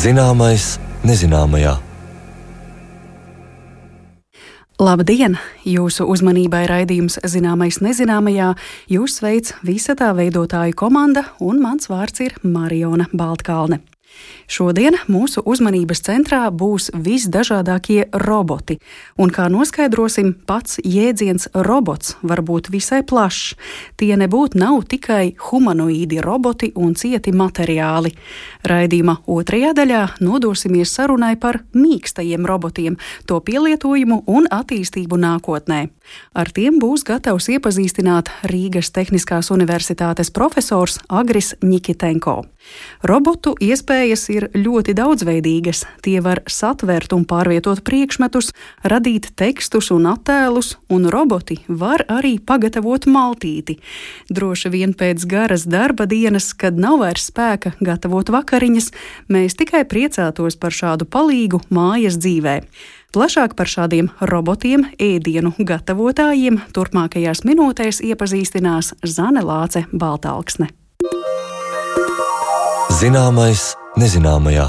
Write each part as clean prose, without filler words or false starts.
Zināmais nezināmajā. Labdien! Jūsu uzmanībai raidījums Zināmais nezināmajā. Jūs sveic visa tā veidotāju komanda, un mans vārds ir Mariona Baltkalne. Šodien mūsu uzmanības centrā būs visdažādākie roboti, un kā noskaidrosim, pats jēdziens robots var būt visai plašs. Tie nebūtu nav tikai humanoīdi roboti un cieti materiāli. Raidījuma otrajā daļā nodosimies sarunai par mīkstajiem robotiem, to pielietojumu un attīstību nākotnē. Ar tiem būs gatavs iepazīstināt Rīgas Tehniskās universitātes profesors Agris Ņikitenko. Robotu iespējas ir ļoti daudzveidīgas. Tie var satvert un pārvietot priekšmetus, radīt tekstus un attēlus, un roboti var arī pagatavot maltīti. Droši vien pēc garas darba dienas, kad nav vairs spēka gatavot vakariņas, mēs tikai priecātos par šādu palīgu mājas dzīvē. Plašāk par šādiem robotiem, ēdienu gatavotājiem turpmākajās minūtēs iepazīstinās Zane Lāce Baltalksne. Zināmais nezināmajā.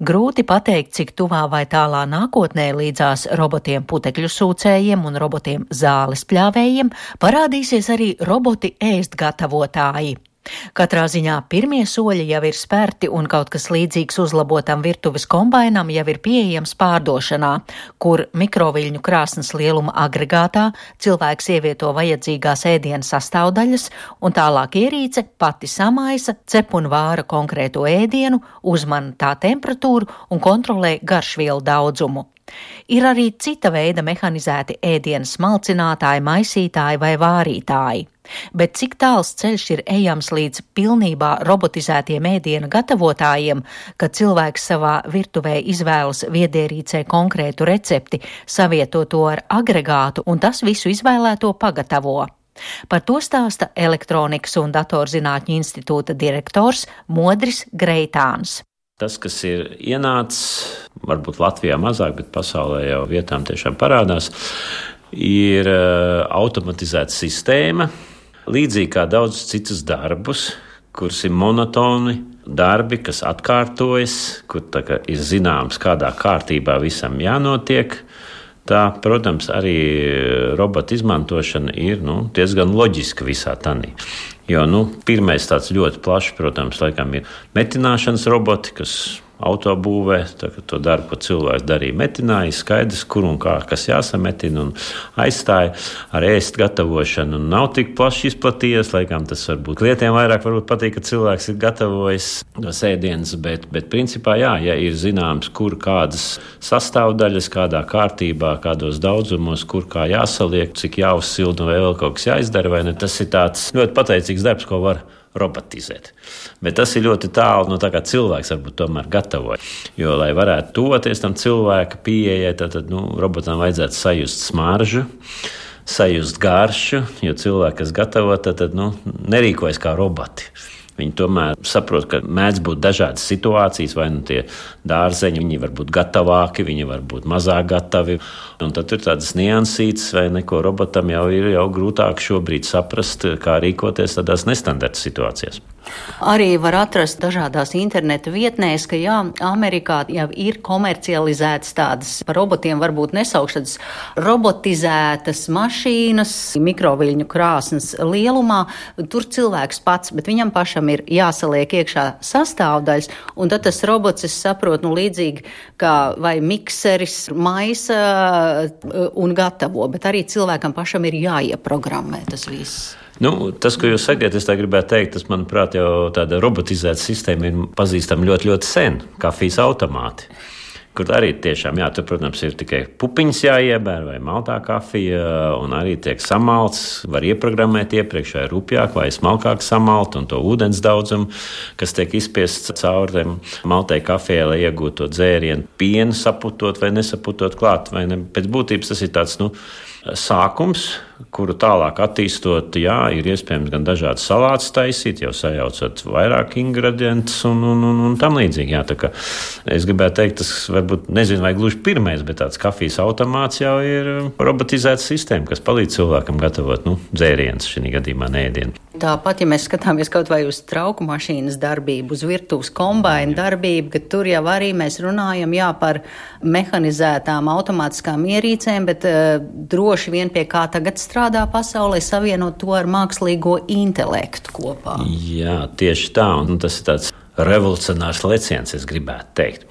Grūti pateikt, cik tuvā vai tālā nākotnē līdzās robotiem putekļu sūcējiem un robotiem zāles pļāvējiem parādīsies arī roboti ēst gatavotāji. Katrā ziņā pirmie soļi jau ir spērti un kaut kas līdzīgs uzlabotam virtuves kombainam jau ir pieejams pārdošanā, kur mikroviļņu krāsnes lieluma agregātā cilvēks ievieto vajadzīgās ēdiena sastāvdaļas un tālāk ierīce pati samaisa, cep un vāra konkrēto ēdienu, uzmana tā temperatūru un kontrolē garšvielu daudzumu. Ir arī cita veida mehanizēti ēdienu smalcinātāji, maisītāji vai vārītāji. Bet cik tāls ceļš ir ejams līdz pilnībā robotizētiem ēdienu gatavotājiem, kad cilvēks savā virtuvē izvēlas viedierīcē konkrētu recepti, savieto to ar agregātu un tas visu izvēlēto pagatavo. Par to stāsta Elektronikas un datorzinātņu institūta direktors Modris Greitāns. Tas, kas ir ienācis, varbūt Latvijā mazāk, bet pasaulē jau vietām tiešām parādās, ir automatizēta sistēma, līdzīgi kā daudz citus darbus, kurus ir monotoni darbi, kas atkārtojas, kur ir zināms, kādā kārtībā visam jānotiek. Tā, protams, arī robota izmantošana ir diezgan loģiska visā tanī. Jo pirmais tāds ļoti plašs, protams, laikam ir metināšanas roboti, kas autobūvē, to darbu, ko cilvēks darīja, metināja, skaidrs, kur un kā, kas jāsametina un aizstāja ar ēst gatavošanu. Nav tik plaši izplatījies, laikam tas varbūt klientiem vairāk patīk, ka cilvēks ir gatavojis tos ēdienas, bet principā ja ir zināms, kur kādas sastāvdaļas, kādā kārtībā, kādos daudzumos, kur kā jāsaliek, cik jāuzsilda vai vēl kaut kas jāizdara, vai ne, tas ir tāds ļoti pateicīgs darbs, ko var robotizēt. Bet tas ir ļoti tālu no tā, kā cilvēks varbūt tomēr gatavoja. Jo, lai varētu tuvoties tam cilvēka pieejai, tad robotam vajadzētu sajust smaržu, sajust garšu, jo cilvēki, kas gatavo, tad nerīkojas kā roboti. Viņi tomēr saprot, ka mēdz būt dažādas situācijas, vai tie dārzeņi, viņi var būt gatavāki, viņi var būt mazāk gatavi. Un tad ir tādas niansītas, vai neko robotam jau ir grūtāk šobrīd saprast, kā rīkoties tādās nestandarta situācijās. Arī var atrast dažādās interneta vietnēs, ka Amerikā jau ir komercializētas tādas, par robotiem varbūt nesaukšanas, robotizētas mašīnas, mikroviļņu krāsnes lielumā. Tur cilvēks pats, bet viņam pašam ir jāsaliek iekšā sastāvdaļas, un tad tas robots, es saprotu, līdzīgi kā vai mikseris maisa un gatavo, bet arī cilvēkam pašam ir jāieprogrammē tas viss. Tas, ko jūs sakiet, es tā gribētu teikt, tas, manuprāt, jau tāda robotizēta sistēma ir pazīstama ļoti, ļoti sen, kafijas automāti. Kur arī tiešām, tur, protams, ir tikai pupiņas jāiebēr vai maltā kafija, un arī tiek samalts, var ieprogrammēt iepriekš vai rupjāk vai smalkāk samalt, un to ūdens daudzumu, kas tiek izspiests cauri maltai kafijai, lai iegūtu to dzērienu, pienu saputot vai nesaputot klāt, vai ne. Pēc būtības tas ir tāds, sākums kuru tālāk attīstot, ir iespējams gan dažādas salātus taisīt, jau sajaucot vairāk ingredientus un tam līdzīgi. Jā, tā kā es gribētu teikt, tas varbūt, nezinu, vai gluži pirmais, bet tāds kafijas automāts jau ir robotizēta sistēma, kas palīdz cilvēkam gatavot, dzērienus, šī gadījumā neēdienu. Tāpat, ja mēs skatāmies kaut vai uz trauku mašīnas darbību, uz virtuves kombaina darbību, ka tur jau arī mēs runājam, par mehanizētām automātiskām ierīcēm, bet droši vien pie kā tagad strādā pasaulē, savienot to ar mākslīgo intelektu kopā. Jā, tieši tā, un tas ir tāds revolucionārs leciens, es gribētu teikt.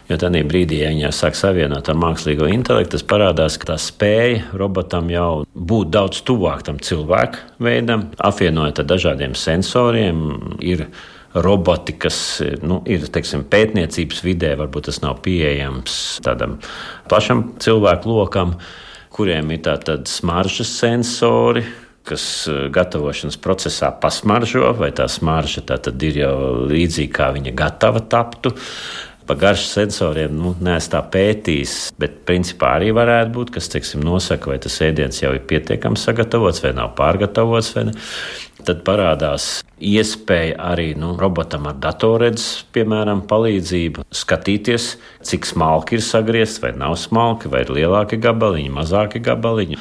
Jo tādā brīdī, ja viņi sāk savienot ar mākslīgo intelektu, tas parādās, ka tā spēja robotam jau būt daudz tuvāk tam cilvēku veidam, apvienojot ar dažādiem sensoriem, ir roboti, kas ir, teiksim, pētniecības vidē, varbūt tas nav pieejams tādam plašam cilvēku lokam, kuriem ir tātad smaržas sensori, kas gatavošanas procesā pasmaržo, vai tā smarža tātad ir jau līdzīgi, kā viņa gatava taptu. Pa garšas sensoriem neesmu tā pētījis, bet principā arī varētu būt, kas, teiksim, nosaka, vai tas ēdiens jau ir pietiekami sagatavots vai nav pārgatavots, vai ne. Tad parādās iespēja arī robotam ar datorredzes, piemēram, palīdzību skatīties, cik smalki ir sagriezts, vai nav smalki, vai ir lielāki gabaliņi, mazāki gabaliņi.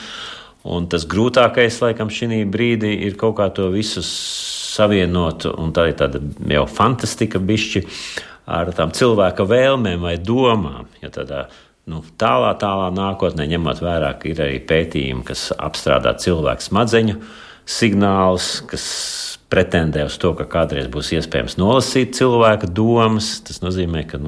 Un tas grūtākais, laikam, šī brīdī ir kaut kā to visu savienot, un tā ir tāda jau fantastika bišķi ar tām cilvēka vēlmēm vai domām. Ja tādā tālā nākotnē, ņemot vērā, ka ir arī pētījumi, kas apstrādā cilvēku smadzeņu signālus, kas pretendē uz to, ka kādreiz būs iespējams nolasīt cilvēka domas. Tas nozīmē, ka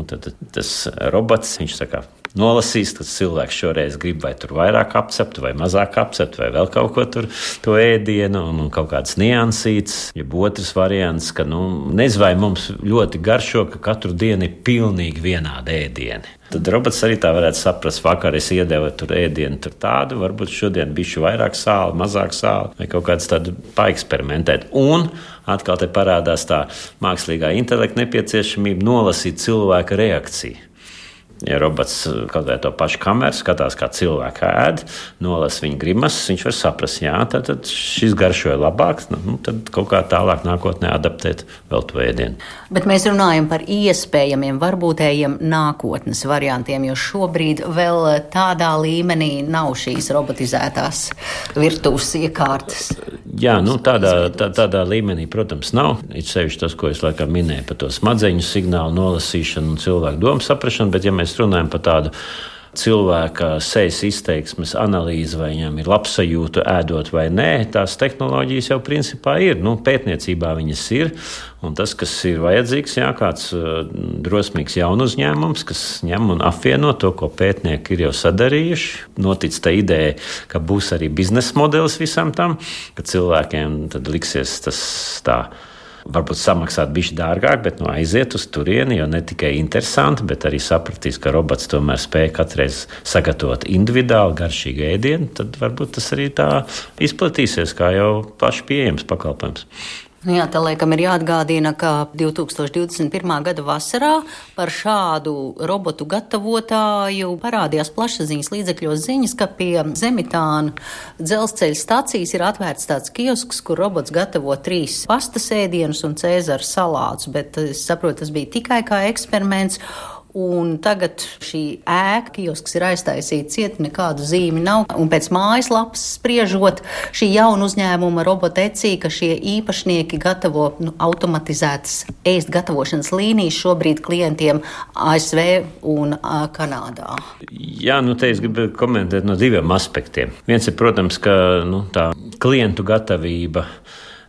tas robots, viņš saka, nolasīs, tas cilvēks šoreiz grib vai tur vairāk apcept, vai mazāk apcept, vai vēl kaut ko tur, to ēdienu, un kaut kāds niansīts. Jeb otrs variants, ka, nezinu, vai mums ļoti garšo, ka katru dienu ir pilnīgi vienādi ēdieni. Tad robots arī tā varētu saprast, vakar es iedevu tur ēdienu tur tādu, varbūt šodien bišķi vairāk sāli, mazāk sāli, vai kaut kāds tādu paeksperimentēt. Un atkal te parādās tā mākslīgā intelekta nepieciešamība nolasīt cilvēka reakciju. Ja robots kaut vai to pašu kameru skatās, kā cilvēka ēd, nolasa viņa grimases, viņš var saprast, tad šis garšoja labāk, tad kaut kā tālāk nākotnē adaptēt vēl to ēdienu. Bet mēs runājam par iespējamiem, varbūtējiem nākotnes variantiem, jo šobrīd vēl tādā līmenī nav šīs robotizētās virtuves iekārtas. Jā, tādā līmenī, protams, nav. Ir sevišķi tas, ko es laikam minēju par to smadzeņu signālu nolasīšanu un cilvēku domu saprašanu, bet ja mēs runājam par tādu cilvēka sejas izteiksmes analīzi, vai viņam ir labsajūta ēdot vai nē, tās tehnoloģijas jau principā ir. Pētniecībā viņas ir, un tas, kas ir vajadzīgs, kāds drosmīgs jaunu uzņēmums, kas ņem un apvieno to, ko pētnieki ir jau sadarījuši. Notic tā ideja, ka būs arī biznesa modelis visam tam, ka cilvēkiem tad liksies tas tā. Varbūt samaksāt bišķi dārgāk, bet aiziet uz turieni, jo ne tikai interesanti, bet arī sapratīs, ka robots tomēr spēja katreiz sagatavot individuāli garšīgu ēdienu, tad varbūt tas arī tā izplatīsies kā jau plaši pieejams pakalpojums. Jā, tā laikam ir jāatgādina, ka 2021. gada vasarā par šādu robotu gatavotāju parādījās plašsaziņas līdzekļos ziņas, ka pie Zemitāna dzelzceļa stacijas ir atvērts tāds kiosks, kur robots gatavo 3 pastas ēdienus un cēzara salātus, bet es saprotu, tas bija tikai kā eksperiments. Un tagad šī ēka, kiosks ir aiztaisīta cieti, nekādu zīmi nav. Un pēc mājaslapas spriežot, šī jauna uzņēmuma Robotecī, ka šie īpašnieki gatavo automatizētas ēst gatavošanas līnijas šobrīd klientiem ASV un Kanādā. Jā, te es gribu komentēt no 2 aspektiem. Viens ir, protams, ka tā klientu gatavība.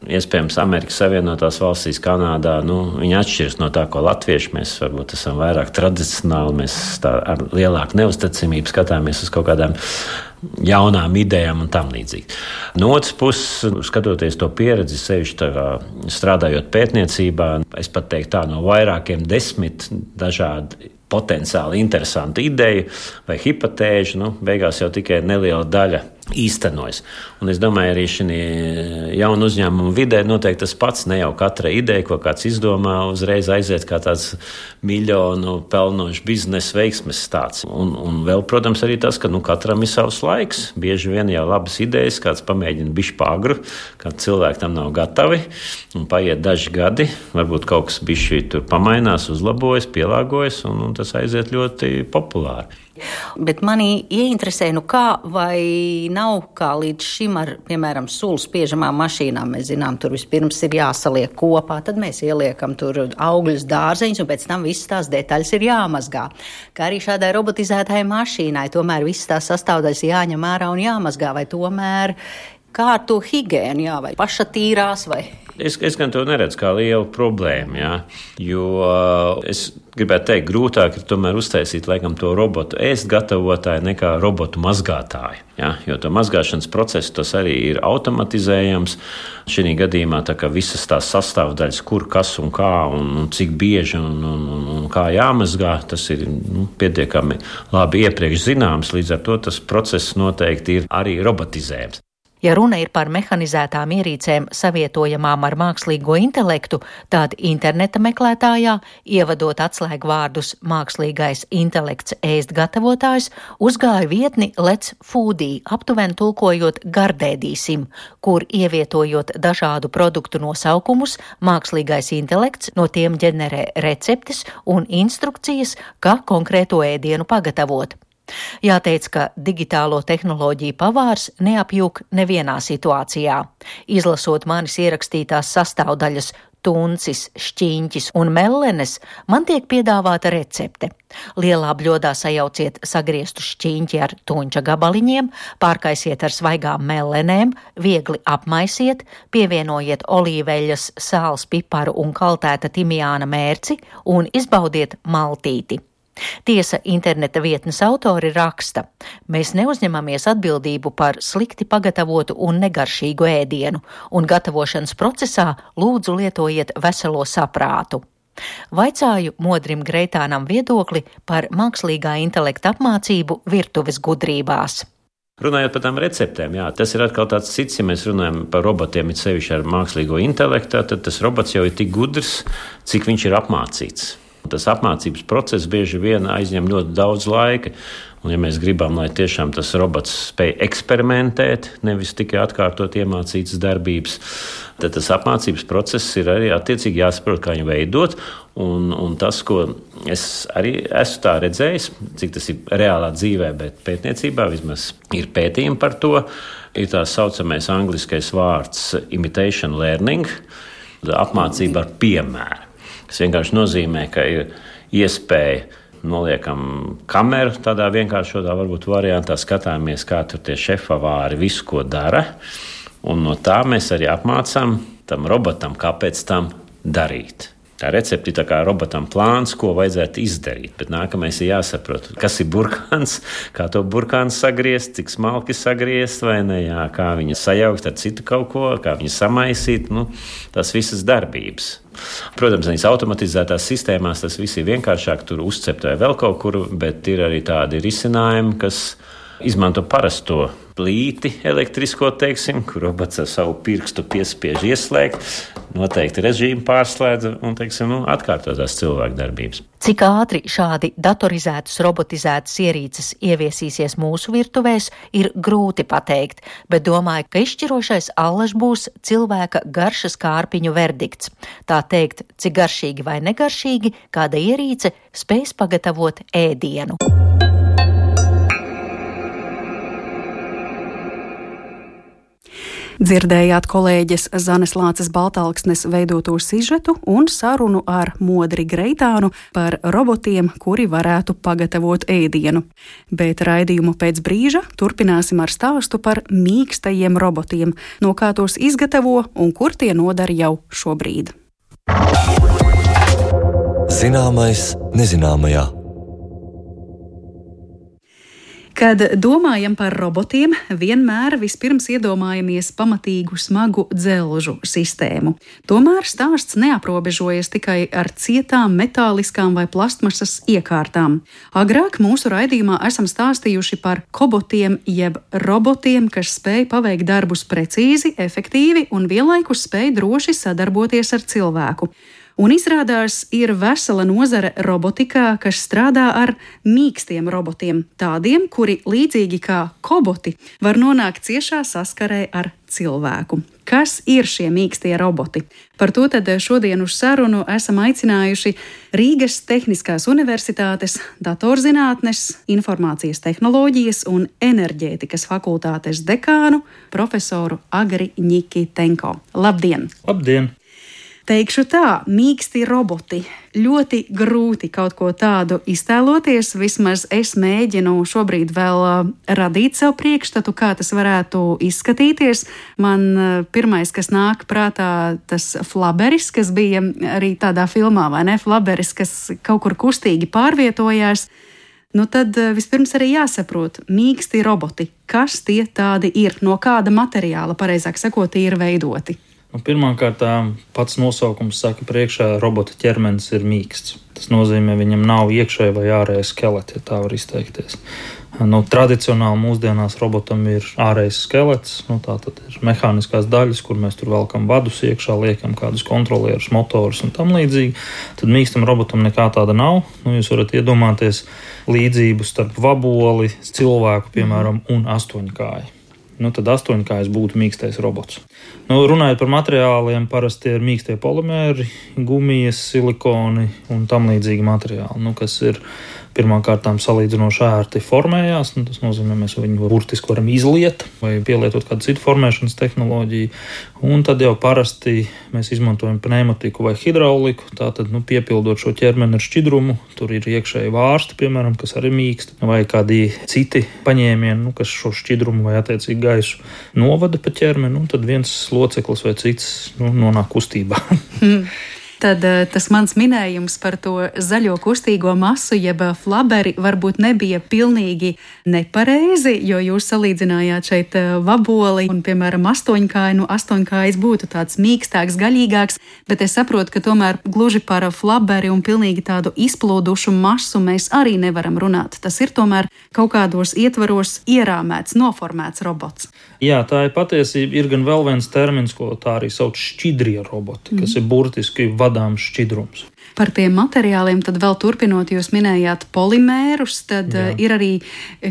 Iespējams, Amerikas Savienotās valstīs, Kanādā, viņi atšķiras no tā, ko latvieši. Mēs varbūt esam vairāk tradicionāli, mēs tā ar lielāku neuzticamību skatāmies uz kaut kādām jaunām idejām un tam līdzīgi. No otras puses, skatoties to pieredzi, sevišķi strādājot pētniecībā, es pat teiktu tā, no vairākiem 10 dažādi potenciāli interesanti ideju vai hipotēžu, beigās jau tikai neliela daļa īstenojas. Un es domāju, arī šī jaunu uzņēmumu vidē noteikti tas pats, ne jau katra ideja, ko kāds izdomā, uzreiz aiziet kā tāds miljonu pelnošs biznesa veiksmes stāsts. Un vēl, protams, arī tas, ka katram ir savs laiks. Bieži vien jau labas idejas, kāds pamēģina bišķi pāgru, kad cilvēki tam nav gatavi, un paiet daži gadi, varbūt kaut kas bišķi tur pamainās, uzlabojas, pielāgojas, un tas aiziet ļoti populāri. Bet mani ieinteresē, kā vai nav kā līdz šim ar, piemēram, sulu spiežamām mašīnām. Mēs zinām, tur vispirms ir jāsaliek kopā, tad mēs ieliekam tur augļus, dārzeņus, un pēc tam visas tās detaļas ir jāmazgā. Kā arī šādai robotizētai mašīnai, tomēr visas tās sastāvdaļas jāņem ārā un jāmazgā, vai tomēr kā ar to higiēnu, vai paša tīrās, vai... Es gan to neredzu kā lielu problēmu, jo es gribētu teikt, grūtāk ir tomēr uztaisīt laikam to robotu ēst gatavotāju nekā robotu mazgātāju. Jo to mazgāšanas procesu tas arī ir automatizējams. Šī gadījumā tā kā visas tās sastāvdaļas, kur, kas un kā un cik bieži un kā jāmazgā, tas ir pietiekami labi iepriekš zināms, līdz ar to tas process noteikti ir arī robotizējams. Ja runa ir par mehanizētām ierīcēm savietojamām ar mākslīgo intelektu, tad interneta meklētājā, ievadot atslēgvārdus mākslīgais intelekts ēst gatavotājs, uzgāja vietni Let's Foodie, aptuveni tulkojot gardēdīsim, kur ievietojot dažādu produktu nosaukumus, mākslīgais intelekts no tiem ģenerē receptes un instrukcijas, kā konkrēto ēdienu pagatavot. Jāteic, ka digitālo tehnoloģiju pavārs neapjūk nevienā situācijā. Izlasot manis ierakstītās sastāvdaļas tuncis, šķīņķis un mellenes, man tiek piedāvāta recepte. Lielā bļodā sajauciet sagrieztu šķīņķi ar tuņķa gabaliņiem, pārkaisiet ar svaigām mellenēm, viegli apmaisiet, pievienojiet olīveļas, sāls, piparu un kaltēta timjāna mērci un izbaudiet maltīti. Tiesa, interneta vietnes autori raksta: mēs neuzņemamies atbildību par slikti pagatavotu un negaršīgu ēdienu, un gatavošanas procesā lūdzu lietojiet veselo saprātu. Vaicāju Modrim Greitānam viedokli par mākslīgā intelekta apmācību virtuves gudrībās. Runājot par tām receptēm, tas ir atkal tāds cits, ja mēs runājam par robotiem, it sevišķi ar mākslīgo intelektu, tad tas robots jau ir tik gudrs, cik viņš ir apmācīts. Tas apmācības process bieži vien aizņem ļoti daudz laika. Un, ja mēs gribam, lai tiešām tas robots spēj eksperimentēt, nevis tikai atkārtot iemācītas darbības, tad tas apmācības process ir arī attiecīgi jāsaprot, kā viņu veidot. Un tas, ko es arī esmu tā redzējis, cik tas ir reālā dzīvē, bet pētniecībā vismaz ir pētījumi par to, ir tā saucamais angliskais vārds imitation learning, apmācība ar piemēru. Tas vienkārši nozīmē, ka ir iespēja noliekam kameru tādā vienkāršotā varbūt variantā, skatāmies, kā tur tie šefavāri visu, ko dara, un no tā mēs arī apmācām tam robotam, kāpēc tam darīt. Tā recepte ir tā kā robotam plāns, ko vajadzētu izdarīt, bet nākamais ir jāsaprot, kas ir burkāns, kā to burkānu sagriezt, cik smalki sagriezt vai ne, kā viņu sajaukt ar citu kaut ko, kā viņu samaisīt, tās visas darbības. Protams, viņas automatizētās sistēmās tas viss ir vienkāršāk, tur uzcept vai vēl kaut kur, bet ir arī tādi risinājumi, kas izmanto parasto plīti elektrisko, kur robots ar savu pirkstu piespiež ieslēgt, noteikti režīmu pārslēdz un, atkārtotās cilvēku darbības. Cik ātri šādi datorizētas, robotizētas ierīces ieviesīsies mūsu virtuvēs, ir grūti pateikt, bet domāju, ka izšķirošais allaž būs cilvēka garšas kārpiņu verdikts. Tā teikt, cik garšīgi vai negaršīgi kāda ierīce spēs pagatavot ēdienu. Dzirdējāt kolēģes Zanes Lāces Baltalksnes veidoto sižetu un sarunu ar Modri Greitānu par robotiem, kuri varētu pagatavot ēdienu. Bet raidījumu pēc brīža turpināsim ar stāstu par mīkstajiem robotiem, no kā tos izgatavo un kur tie nodara jau šobrīd. Zināmais nezināmajā. Kad domājam par robotiem, vienmēr vispirms iedomājamies pamatīgu smagu dzelžu sistēmu. Tomēr stāsts neaprobežojas tikai ar cietām, metāliskām vai plastmasas iekārtām. Agrāk mūsu raidījumā esam stāstījuši par kobotiem jeb robotiem, kas spēj paveikt darbus precīzi, efektīvi un vienlaikus spēj droši sadarboties ar cilvēku. Un izrādās, ir vesela nozare robotikā, kas strādā ar mīkstiem robotiem, tādiem, kuri līdzīgi kā koboti var nonākt ciešā saskarē ar cilvēku. Kas ir šie mīkstie roboti? Par to tad šodien uz sarunu esam aicinājuši Rīgas Tehniskās Universitātes datorzinātnes, informācijas tehnoloģijas un enerģētikas fakultātes dekānu profesoru Agri Ņikitenko. Labdien! Labdien! Teikšu tā, mīksti roboti. Ļoti grūti kaut ko tādu iztēloties, vismaz es mēģinu šobrīd vēl radīt sev priekšstatu, kā tas varētu izskatīties. Man pirmais, kas nāk prātā, tas Flaberis, kas bija arī tādā filmā, vai ne? Flaberis, kas kaut kur kustīgi pārvietojās. Nu tad vispirms arī jāsaprot, mīksti roboti, kas tie tādi ir, no kāda materiāla, pareizāk sakot, tie ir veidoti. Pirmkārt, pats nosaukums saka priekšā, robota ķermenis ir mīksts. Tas nozīmē, viņam nav iekšēji vai ārēji skeleti, ja tā var izteikties. Tradicionāli mūsdienās robotam ir ārējais skelets, tā tad ir mehāniskās daļas, kur mēs tur velkam vadus iekšā, liekam kādus kontrolierus, motorus un tam līdzīgi. Tad mīkstam robotam nekā tāda nav. Jūs varat iedomāties līdzību starp vaboli, cilvēku, piemēram, un astoņkāju. Tad astoņkājs būtu mīkstais robots. Runājot par materiāliem, parasti ir mīkstie polimēri, gumijas, silikoni un tam līdzīgi materiāli, kas ir pirmkārt salīdzinoši ērti formējās. Tas nozīmē, mēs viņu burtiski varam izliet vai pielietot kādu citu formēšanas tehnoloģiju. Un tad jau parasti mēs izmantojam pneimatiku vai hidrauliku, tātad piepildot šo ķermeni ar šķidrumu. Tur ir iekšēji vārsti, piemēram, kas arī mīkst, vai kādi citi paņēmieni, kas šo šķidrumu vai attiecīgi gaisu novada pa ķermeni, un tad viens loceklis vai cits nonāk kustībā. Tad tas mans minējums par to zaļo kustīgo masu, jeb flaberi, varbūt nebija pilnīgi nepareizi, jo jūs salīdzinājāt šeit vaboli un, piemēram, astoņkāju. Astoņkājs būtu tāds mīkstāks, gaļīgāks, bet es saprotu, ka tomēr gluži par flaberi un pilnīgi tādu izplūdušu masu mēs arī nevaram runāt. Tas ir tomēr kaut kādos ietvaros ierāmēts, noformēts robots. Jā, tā ir patiesība. Ir gan vēl viens termins, ko tā arī sauc šķidrie roboti, kas ir burtiski vadāms šķidrums. Par tiem materiāliem tad vēl turpinot, jūs minējāt polimērus, tad ir arī,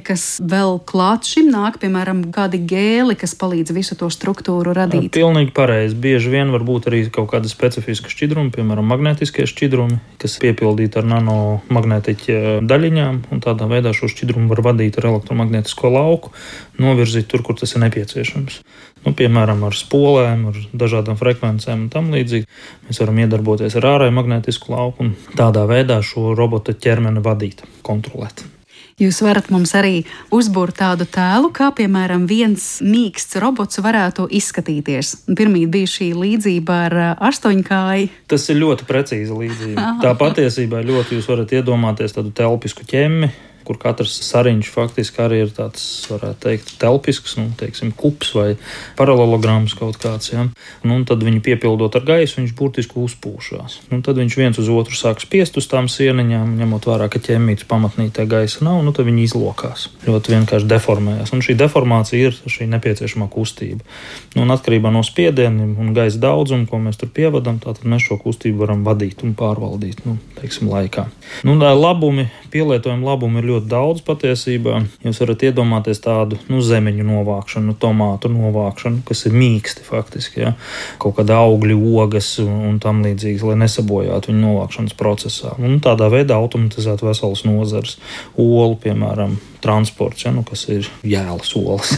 kas vēl klāt šim nāk, piemēram, kādi gēli, kas palīdz visu to struktūru radīt. Pilnīgi pareizi. Bieži vien var būt arī kaut kāda specifiska šķidruma, piemēram, magnetiskie šķidrumi, kas piepildīti ar nanomagnētiķa daļiņām, un tādā veidā šo šķidrumu var vadīt ar elektromagnētisko lauku, novirzīt tur, kur tas ir nepieciešams. Piemēram, ar spolēm, ar dažādām frekvencēm un tam līdzīgi. Mēs varam iedarboties ar ārēju magnētisku lauku un tādā veidā šo robota ķermeni vadīt, kontrolēt. Jūs varat mums arī uzbūrt tādu tēlu, kā, piemēram, viens mīksts robots varētu izskatīties. Pirmīt bija šī līdzība ar astoņkāju. Tas ir ļoti precīza līdzība. Tā patiesībā ļoti jūs varat iedomāties tādu telpisku ķemmi, kur katrs sariņš faktiski arī ir tāds, varētu teikt, telpisks, teiksim, kups vai paralelograms kaut kāds, ja. Un tad viņu piepildot ar gaisu, viņš burtiski uzpūšās. Tad viņš viens uz otru sāk spiest uz tām sieniņām, ņemot vērā, ka ķemmītes pamatnītē gaisa nav, tad viņi izlokās. Ļoti vienkārši deformējās. Un šī deformācija ir šī nepieciešamā kustība. Atkarībā no spiedieniem un gaisa daudzuma, ko mēs tur pievadam, tātad mēs šo kustību varam vadīt un pārvaldīt, teiksim, laikā. Pielietojuma labumi ir ļoti daudz patiesībā. Jūs varat iedomāties tādu zemeņu novākšanu, tomātu novākšanu, kas ir mīksti faktiski, ja? Kaut kāda augļu ogas un tam līdzīgas, lai nesabojātu viņu novākšanas procesā. Tādā veidā automatizēt veselas nozares. Olu, piemēram, transports, kas ir jēlas olas,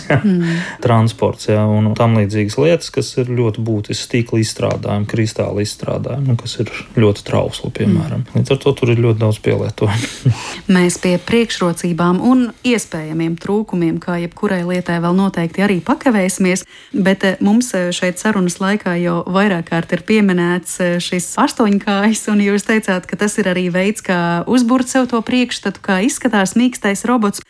transports, un tam līdzīgas lietas, kas ir ļoti būtisks, stīkla izstrādājumi, kristāla izstrādājumi, kas ir ļoti trausli, piemēram. Līdz ar to tur ir ļoti daudz pielietojumu. Mēs pie priekšrocībām un iespējamiem trūkumiem, kā jebkurai lietai vēl noteikti arī pakavēsimies, bet mums šeit sarunas laikā jau vairāk kārt ir pieminēts šis astoņkājs, un jūs teicāt, ka tas ir arī veids, kā uzburt sev to priekšstatu, kā izskatās mīkstais robots.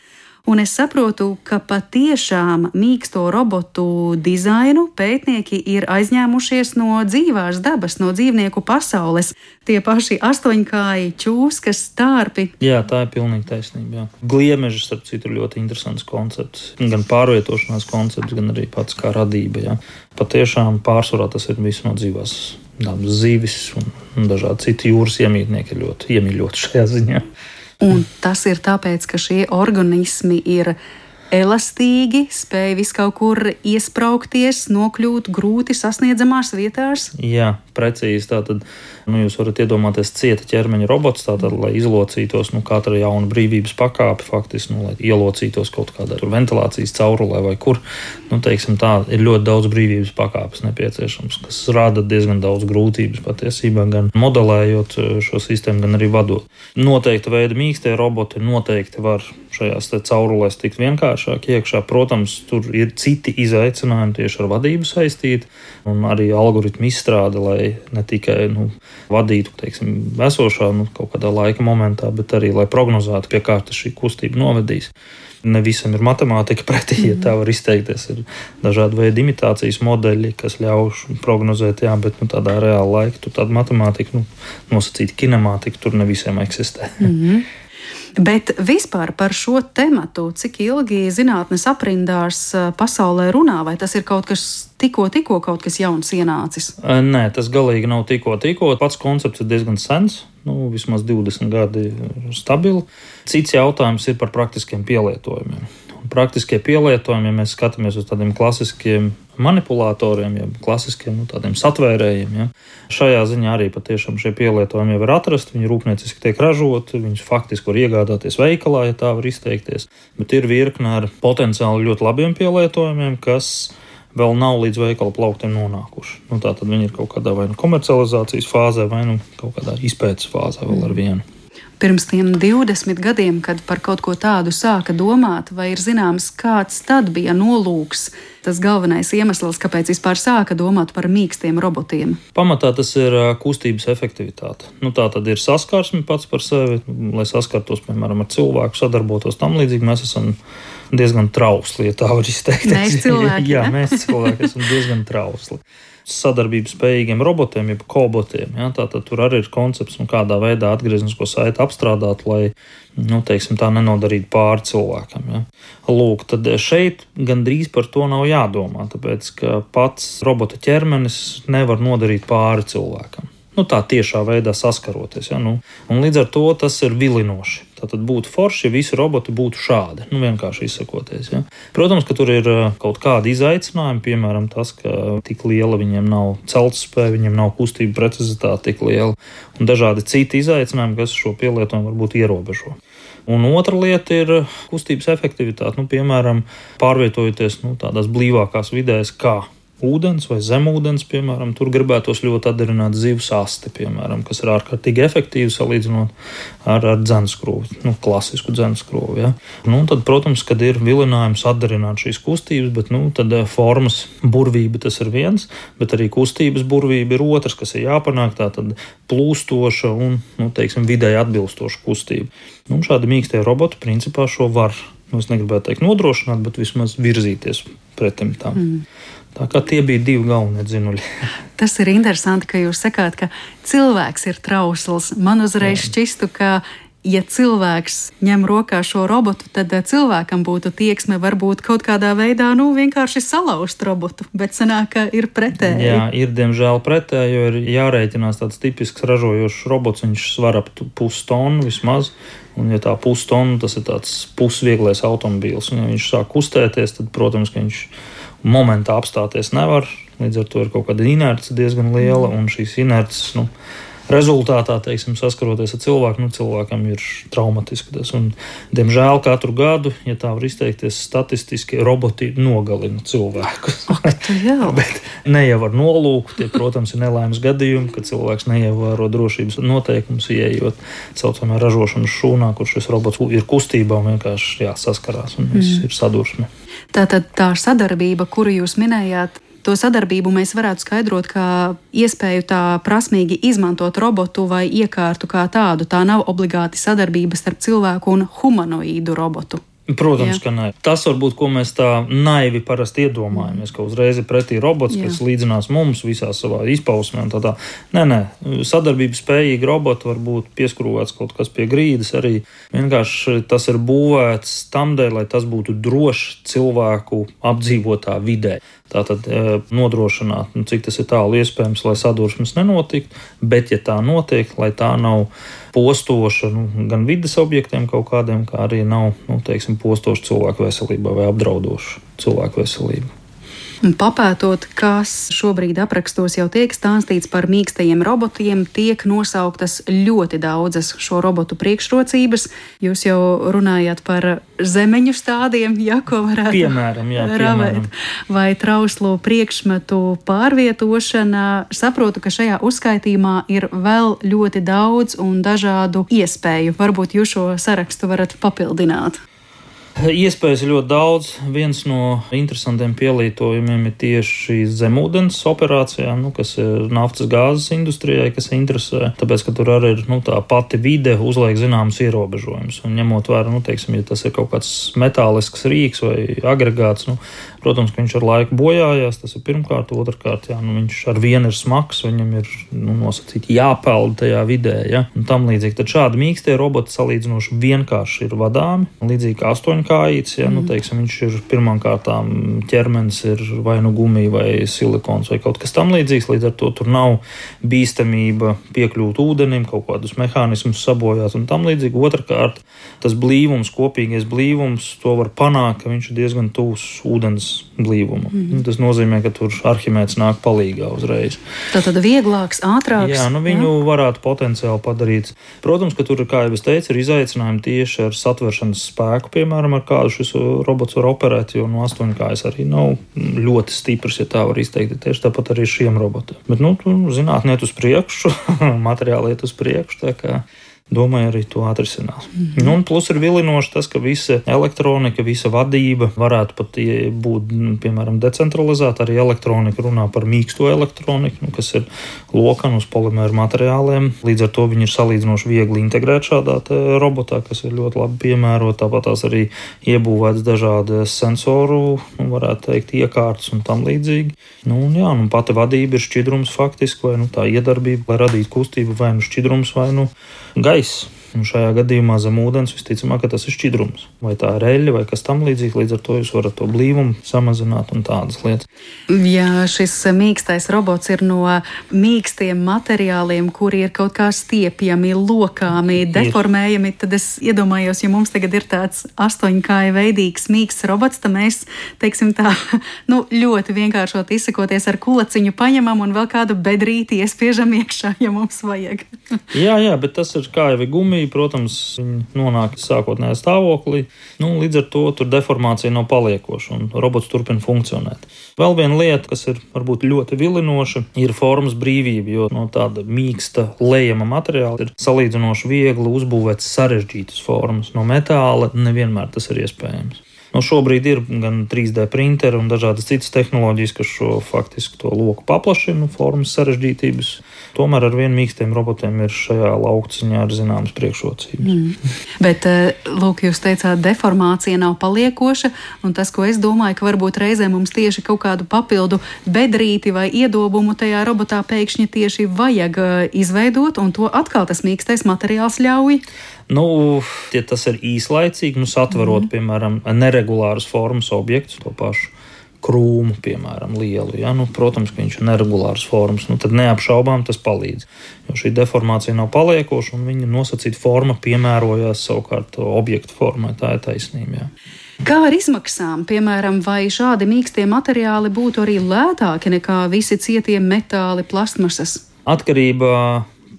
Un es saprotu, ka patiešām mīksto robotu dizainu pētnieki ir aizņēmušies no dzīvās dabas, no dzīvnieku pasaules. Tie paši astoņkāji, čūskas, stārpi. Jā, tā ir pilnīgi taisnība. Jā. Gliemežs, starp citu, ir ļoti interesants koncepts. Gan pārvietošanās koncepts, gan arī pats kā radība. Jā. Patiešām pārsvarā tas ir viss no dzīvās dabas, zivis un dažādi citi jūras iemītnieki ir ļoti iemīļoti šajā ziņā. Un tas ir tāpēc, ka šie organismi ir elastīgi, spēj vis kaut kur iespraukties, nokļūt grūti sasniedzamās vietās. Jā, precīzi. Tātad, jūs varat iedomāties cieta ķermeņa robots, tātad, lai izlocītos, katra jauna brīvības pakāpe, faktiski, lai ielocītos kaut kādā ventilācijas caurulē vai kur. Teiksim tā, ir ļoti daudz brīvības pakāpes nepieciešams, kas rada diezgan daudz grūtības patiesībā, gan modelējot šo sistēmu, gan arī vadot. Noteikta veida mīkstie roboti noteikti var šajās caurulēs tikt vienkāršāk iekšā. Protams, tur ir citi izaicinājumi tieši ar vadību saistīti un arī algoritmu izstrāde, lai ne tikai vadītu, teiksim, esošā kaut kādā laika momentā, bet arī, lai prognozētu, pie kā šī kustība novedīs. Ne visam ir matemātika pretī, ja tā var izteikties. Ir dažādi veidi imitācijas modeļi, kas ļauj prognozēt, jā, bet tādā reāla laika tur tāda matemātika, nosacīta kinemātika, tur ne visiem eksistē. Bet vispār par šo tematu, cik ilgi zinātnes aprindās pasaulē runā, vai tas ir kaut kas tikko kaut kas jauns ienācis? Nē, tas galīgi nav tikko. Pats koncepts ir diezgan sens, vismaz 20 gadi stabili. Cits jautājums ir par praktiskiem pielietojumiem. Praktiskie pielietojumi, ja mēs skatāmies uz tādiem klasiskiem manipulatoriem, ja klasiskiem tādiem satvērējiem, ja. Šajā ziņā arī patiešām šie pielietojumi jau ir atrasti, viņi rūpnieciski tiek ražoti, viņus faktiski var iegādāties veikalā, ja tā var izteikties, bet ir virkne ar potenciāli ļoti labiem pielietojumiem, kas vēl nav līdz veikala plauktiem nonākuši. Tātad viņi ir kaut kādā vai komercializācijas fāzē, vai kaut kādā izpētes fāzē vēl ar vienu. Pirms tiem 20 gadiem, kad par kaut ko tādu sāka domāt, vai ir zināms, kāds tad bija nolūks, tas galvenais iemesls, kāpēc vispār sāka domāt par mīkstiem robotiem? Pamatā tas ir kustības efektivitāte. Tā tad ir saskarsme pats par sevi, lai saskartos, piemēram, ar cilvēku, sadarbotos tam līdzīgi. Mēs esam diezgan trausli, ja tā var izteikties. Mēs cilvēki, jā, mēs cilvēki esam diezgan trausli. Sadarbības spējīgiem robotiem, jeb kobotiem. Ja, tātad tur arī ir koncepts, kādā veidā atgrieznisko saiti apstrādāt, lai, teiksim, tā nenodarītu pāri cilvēkam. Ja. Lūk, tad šeit gandrīz par to nav jādomā, tāpēc, ka pats robota ķermenis nevar nodarīt pāri cilvēkam. Tā tiešā veidā saskaroties. Ja, un līdz ar to tas ir vilinoši. Tātad būtu forši, ja visi roboti būtu šādi, vienkārši izsakoties. Ja. Protams, ka tur ir kaut kādi izaicinājumi, piemēram, tas, ka tik liela viņiem nav celtspēja, viņiem nav kustība precizitāte tik liela, un dažādi citi izaicinājumi, kas šo pielietojumu varbūt ierobežo. Un otra lieta ir kustības efektivitāte, piemēram, pārvietojoties tādās blīvākās vidēs kā ūdens vai zemūdens, piemēram, tur gribētos ļoti atdarināt zivs asti, piemēram, kas ir ārkārtīgi efektīvi salīdzinot ar dzenskrovi, klasisku dzenskrovi. Ja. Tad, protams, kad ir vilinājums atdarināt šīs kustības, bet tad formas burvība tas ir viens, bet arī kustības burvība ir otrs, kas ir jāpanāk, tā tad plūstoša un, teiksim, vidēji atbilstoša kustība. Šādi mīkstie roboti principā šo var, es negribētu teikt nodrošināt, bet vismaz virzīties pretim tam. Tā kā tie bija divi galvenie dzinuļi. Tas ir interesanti, ka jūs sakāt, ka cilvēks ir trausls. Man uzreiz šķistu, ka, ja cilvēks ņem rokā šo robotu, tad cilvēkam būtu tieksme varbūt kaut kādā veidā vienkārši salauzt robotu, bet sanāk, ka ir pretēji. Jā, ir diemžēl pretēji, jo ir jārēķinās tāds tipisks ražojošs robots, viņš svar ap pustonu vismaz. Un, ja tā pustonu, tas ir tāds pusvieglais automobīls. Un, ja viņš sāk kustēties, tad, protams, ka viņš momentā apstāties nevar. Līdz ar to ir kaut kāda inerce diezgan liela, un šīs inerces, rezultātā, teiksim, saskaroties ar cilvēku, cilvēkam ir traumatiski tas. Un, diemžēl, katru gadu, ja tā var izteikties, statistiski roboti nogalina cilvēkus. Bet ne jau ar nolūku, tie, protams, ir nelaimes gadījumi, kad cilvēks neievēro drošības noteikumus, ieejot saucamā ražošanas šūnā, kur šis robots ir kustībā un vienkārši saskarās un viss ir sadursme. Tātad tā sadarbība, kuru jūs minējāt, to sadarbību mēs varētu skaidrot kā iespēju tā prasmīgi izmantot robotu vai iekārtu kā tādu. Tā nav obligāti sadarbība starp cilvēku un humanoīdu robotu. Protams, ka nē. Tas varbūt, ko mēs tā naivi parasti iedomājamies, ka uzreiz ir pretī robots, kas līdzinās mums visā savā izpausmē un tā. Nē, sadarbības spējīgi roboti var būt pieskrūvēts kaut kas pie grīdas arī. Vienkārši tas ir būvēts tamdēļ, lai tas būtu drošs cilvēku apdzīvotā vidē. Tātad nodrošināt, cik tas ir tālu iespējams, lai sadursmes nenotiktu, bet, ja tā notiek, lai tā nav postoša gan vides objektiem kaut kādiem, kā arī nav, postoša cilvēku veselībā vai apdraudoša cilvēku veselību. Papētot, kas šobrīd aprakstos jau tiek stāstīts par mīkstajiem robotiem, tiek nosauktas ļoti daudzas šo robotu priekšrocības. Jūs jau runājāt par zemeņu stādiem, ko varētu ravēt, vai trauslu priekšmetu pārvietošana. Saprotu, ka šajā uzskaitījumā ir vēl ļoti daudz un dažādu iespēju. Varbūt jūs šo sarakstu varat papildināt. Iespējas ir ļoti daudz. Viens no interesantiem pielietojumiem ir tieši zemūdens operācijām, kas ir naftas gāzes industrijai, kas interesē. Tāpēc, ka tur arī ir tā pati vide uzliek zināmas ierobežojumus. Un ņemot vērā, ja tas ir kaut kāds metālisks rīks vai agregāts, protams, ka viņš ar laiku bojājās. Tas ir pirmkārt, otrkārt, viņš ar vienu ir smags, viņam ir nosacīti jāpeld tajā vidē, un tam līdzīgi. Tad šādi mīkstie roboti salīdzinoši vienkārši ir vadāmi, līdzīgi kā astoņkājīts, viņš ir pirmām kārtām ķermenis ir vai gumija vai silikons vai kaut kas tam līdzīgs, līdz ar to tur nav bīstamība piekļūt ūdenim, kaut kādus mehānismus sabojāt un tam līdzīgi. Otrkārt, tas blīvums, kopīgais blīvums, to var panākt, ka viņš ir diezgan tuvs ūdens blīvumu. Tas nozīmē, ka tur Arhimēds nāk palīgā uzreiz. Tātad vieglāks, ātrāks. Jā, viņu varētu potenciāli padarīt. Protams, ka tur, kā jau es teicu, ir izaicinājumi tieši ar satveršanas spēku, piemēram, ar kādu šis robots var operēt, jo no astoņkājas arī nav ļoti stiprs, ja tā var izteikt. Tieši tāpat arī šiem robotiem. Bet, zinātnē iet uz priekšu, materiāli iet uz priekšu, tā kā domāju, arī to atrisinās. Un plus ir vilinoši tas, ka visa elektronika, visa vadība varētu pat būt, piemēram, decentralizēta. Arī elektronika runā par mīksto elektroniku, kas ir lokana uz polimēru materiāliem. Līdz ar to viņi ir salīdzinoši viegli integrēt šādā robotā, kas ir ļoti labi piemērota. Tāpat tās arī iebūvēts dažādas sensoru, varētu teikt, iekārtas un tam līdzīgi. Pati vadība ir šķidrums faktiski, vai tā iedarbība, lai radītu kustību, vai šķidrums, vai gaiss. Šajā gadījumā zem ūdens visticamāk, ka tas ir šķidrums. Vai tā ir eļļa vai kas tam līdzīgs, līdz ar to jūs varat to blīvumu samazināt un tādas lietas. Ja šis mīkstais robots ir no mīkstiem materiāliem, kuri ir kaut kā stiepjami, lokāmi, deformējami, tad es iedomājos, ja mums tagad ir tāds astoņkāja veidīgs mīksts robots, tad mēs, teiksim tā, ļoti vienkāršot izsakoties ar kulaciņu paņemam un vēl kādu bedrīti iespiežam iekšā, ja mums vajag. Jā, bet tas ir kā jau ir gumija. Protams, viņi nonāk sākotnējā stāvoklī. Līdz ar to tur deformācija nav paliekoša un robots turpina funkcionēt. Vēl viena lieta, kas ir varbūt ļoti vilinoša, ir formas brīvība, jo no tāda mīksta lejama materiāla ir salīdzinoši viegli uzbūvēt sarežģītas formas. No metāla nevienmēr tas ir iespējams. Šobrīd ir gan 3D printeri un dažādas citas tehnoloģijas, kas šo faktiski to loku paplašina, formas sarežģītības. Tomēr ar vien mīkstiem robotiem ir šajā laukciņā ar zināmas priekšrocības. Bet, lūk, jūs teicāt, deformācija nav paliekoša, un tas, ko es domāju, ka varbūt reizē mums tieši kaut kādu papildu bedrīti vai iedobumu tajā robotā pēkšņi tieši vajag izveidot, un to atkal tas mīkstais materiāls ļauj. Ja tas ir īslaicīgi, satverot, piemēram, neregulāras formas objektus, to pašu krūmu, piemēram, lielu. Protams, ka viņš ir neregulāras formas, tad neapšaubām tas palīdz. Jo šī deformācija nav paliekoša un viņa nosacīta forma piemērojās savukārt objektu formai. Tā ir taisnība. Jā. Kā ar izmaksām? Piemēram, vai šādi mīkstie materiāli būtu arī lētāki nekā visi cietie metāli, plastmasas? Atkarībā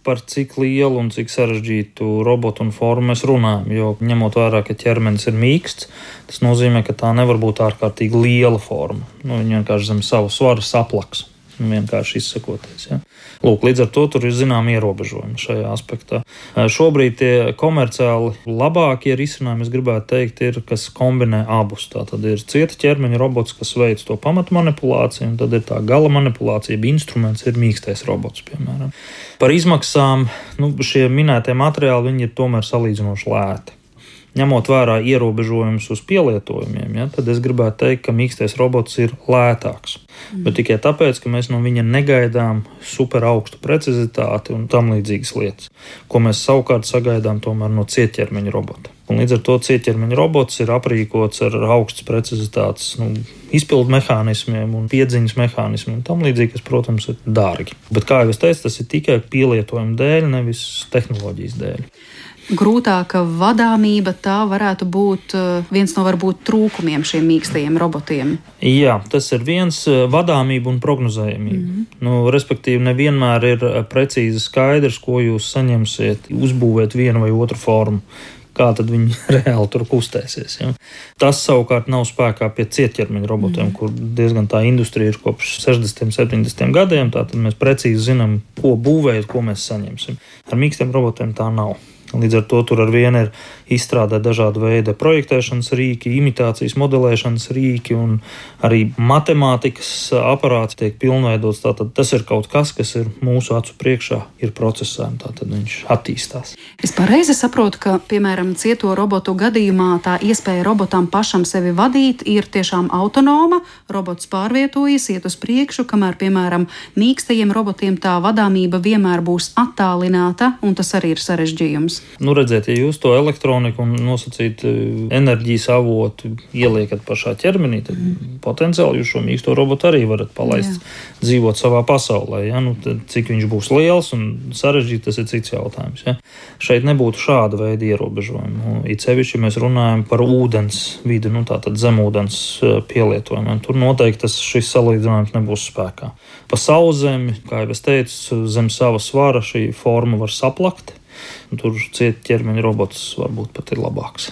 par cik lielu un cik sarežģītu robotu un formu mēs runājam. Jo ņemot vērā, ka ķermenis ir mīksts, tas nozīmē, ka tā nevar būt ārkārtīgi liela forma. Viņa vienkārši zem savu svaru saplaks. Vienkārši izsakoties. Ja. Līdz ar to tur ir zinām ierobežojumi šajā aspektā. Šobrīd tie komerciāli labākie risinājumi, es gribētu teikt, ir, kas kombinē abus. Tātad ir cieta ķermeņa robots, kas veic to pamatu manipulāciju, un tad ir tā gala manipulācija, instruments ir mīkstais robots, piemēram. Par izmaksām, šie minētie materiāli, viņi ir tomēr salīdzinoši lēti. ņemot vērā ierobežojumus uz pielietojumiem, ja, tad es gribētu teikt, ka mīkstais robots ir lētāks. Bet tikai tāpēc, ka mēs no viņa negaidām super augstu precizitāti un tam līdzīgas lietas, ko mēs savukārt sagaidām tomēr no cietķermeņa robota. Un līdz ar to cietķermeņa robots ir aprīkots ar augstas precizitātes izpildu mehānismiem un piedziņas mehānismiem un tam līdzīgi, kas, protams, ir dārgi. Bet, kā jau es teicu, tas ir tikai pielietojuma dēļ, nevis tehnoloģijas dēļ. Grūtāka vadāmība, tā varētu būt viens no varbūt trūkumiem šiem mīkstajiem robotiem. Jā, tas ir viens vadāmība un prognozējamība. Respektīvi, nevienmēr ir precīzi skaidrs, ko jūs saņemsiet, uzbūvēt vienu vai otru formu. Kā tad viņi reāli tur kustēsies. Ja? Tas savukārt nav spēkā pie cietķermeņa robotiem, kur diezgan tā industrija ir kopš 60. 70. gadiem, tātad mēs precīzi zinām, ko būvēt, ko mēs saņemsim. Ar mīkstiem robotiem tā nav. Līdz ar to tur ar vienu ir izstrādāt dažādu veidu projektēšanas rīki, imitācijas modelēšanas rīki un arī matemātikas aparāts tiek pilnveidots. Tātad tas ir kaut kas ir mūsu acu priekšā, ir procesā, tātad viņš attīstās. Es pareizi saprotu, ka, piemēram, cieto robotu gadījumā tā iespēja robotam pašam sevi vadīt ir tiešām autonoma, robots pārvietojas, iet uz priekšu, kamēr, piemēram, mīkstajiem robotiem tā vadāmība vienmēr būs attālināta, un tas arī ir sarežģījums. Redziet, ja jūs to elektroniku un nosacīt enerģijas avotu ieliekat pašā ķermenī, tad potenciāli jūs šo mīksto robotu arī varat palaist dzīvot savā pasaulē. Ja? Cik viņš būs liels un sarežģīts, tas ir cits jautājums. Ja? Šeit nebūtu šāda veida ierobežojumu. It sevišķi, ja mēs runājam par ūdens vidi, tātad zemūdens pielietojumiem. Tur noteikti šis salīdzinājums nebūs spēkā. Pa sauszemi, kā jau es teicu, zem sava svara šī forma var saplakt. Tur cietķermeņa robots varbūt pat ir labāks.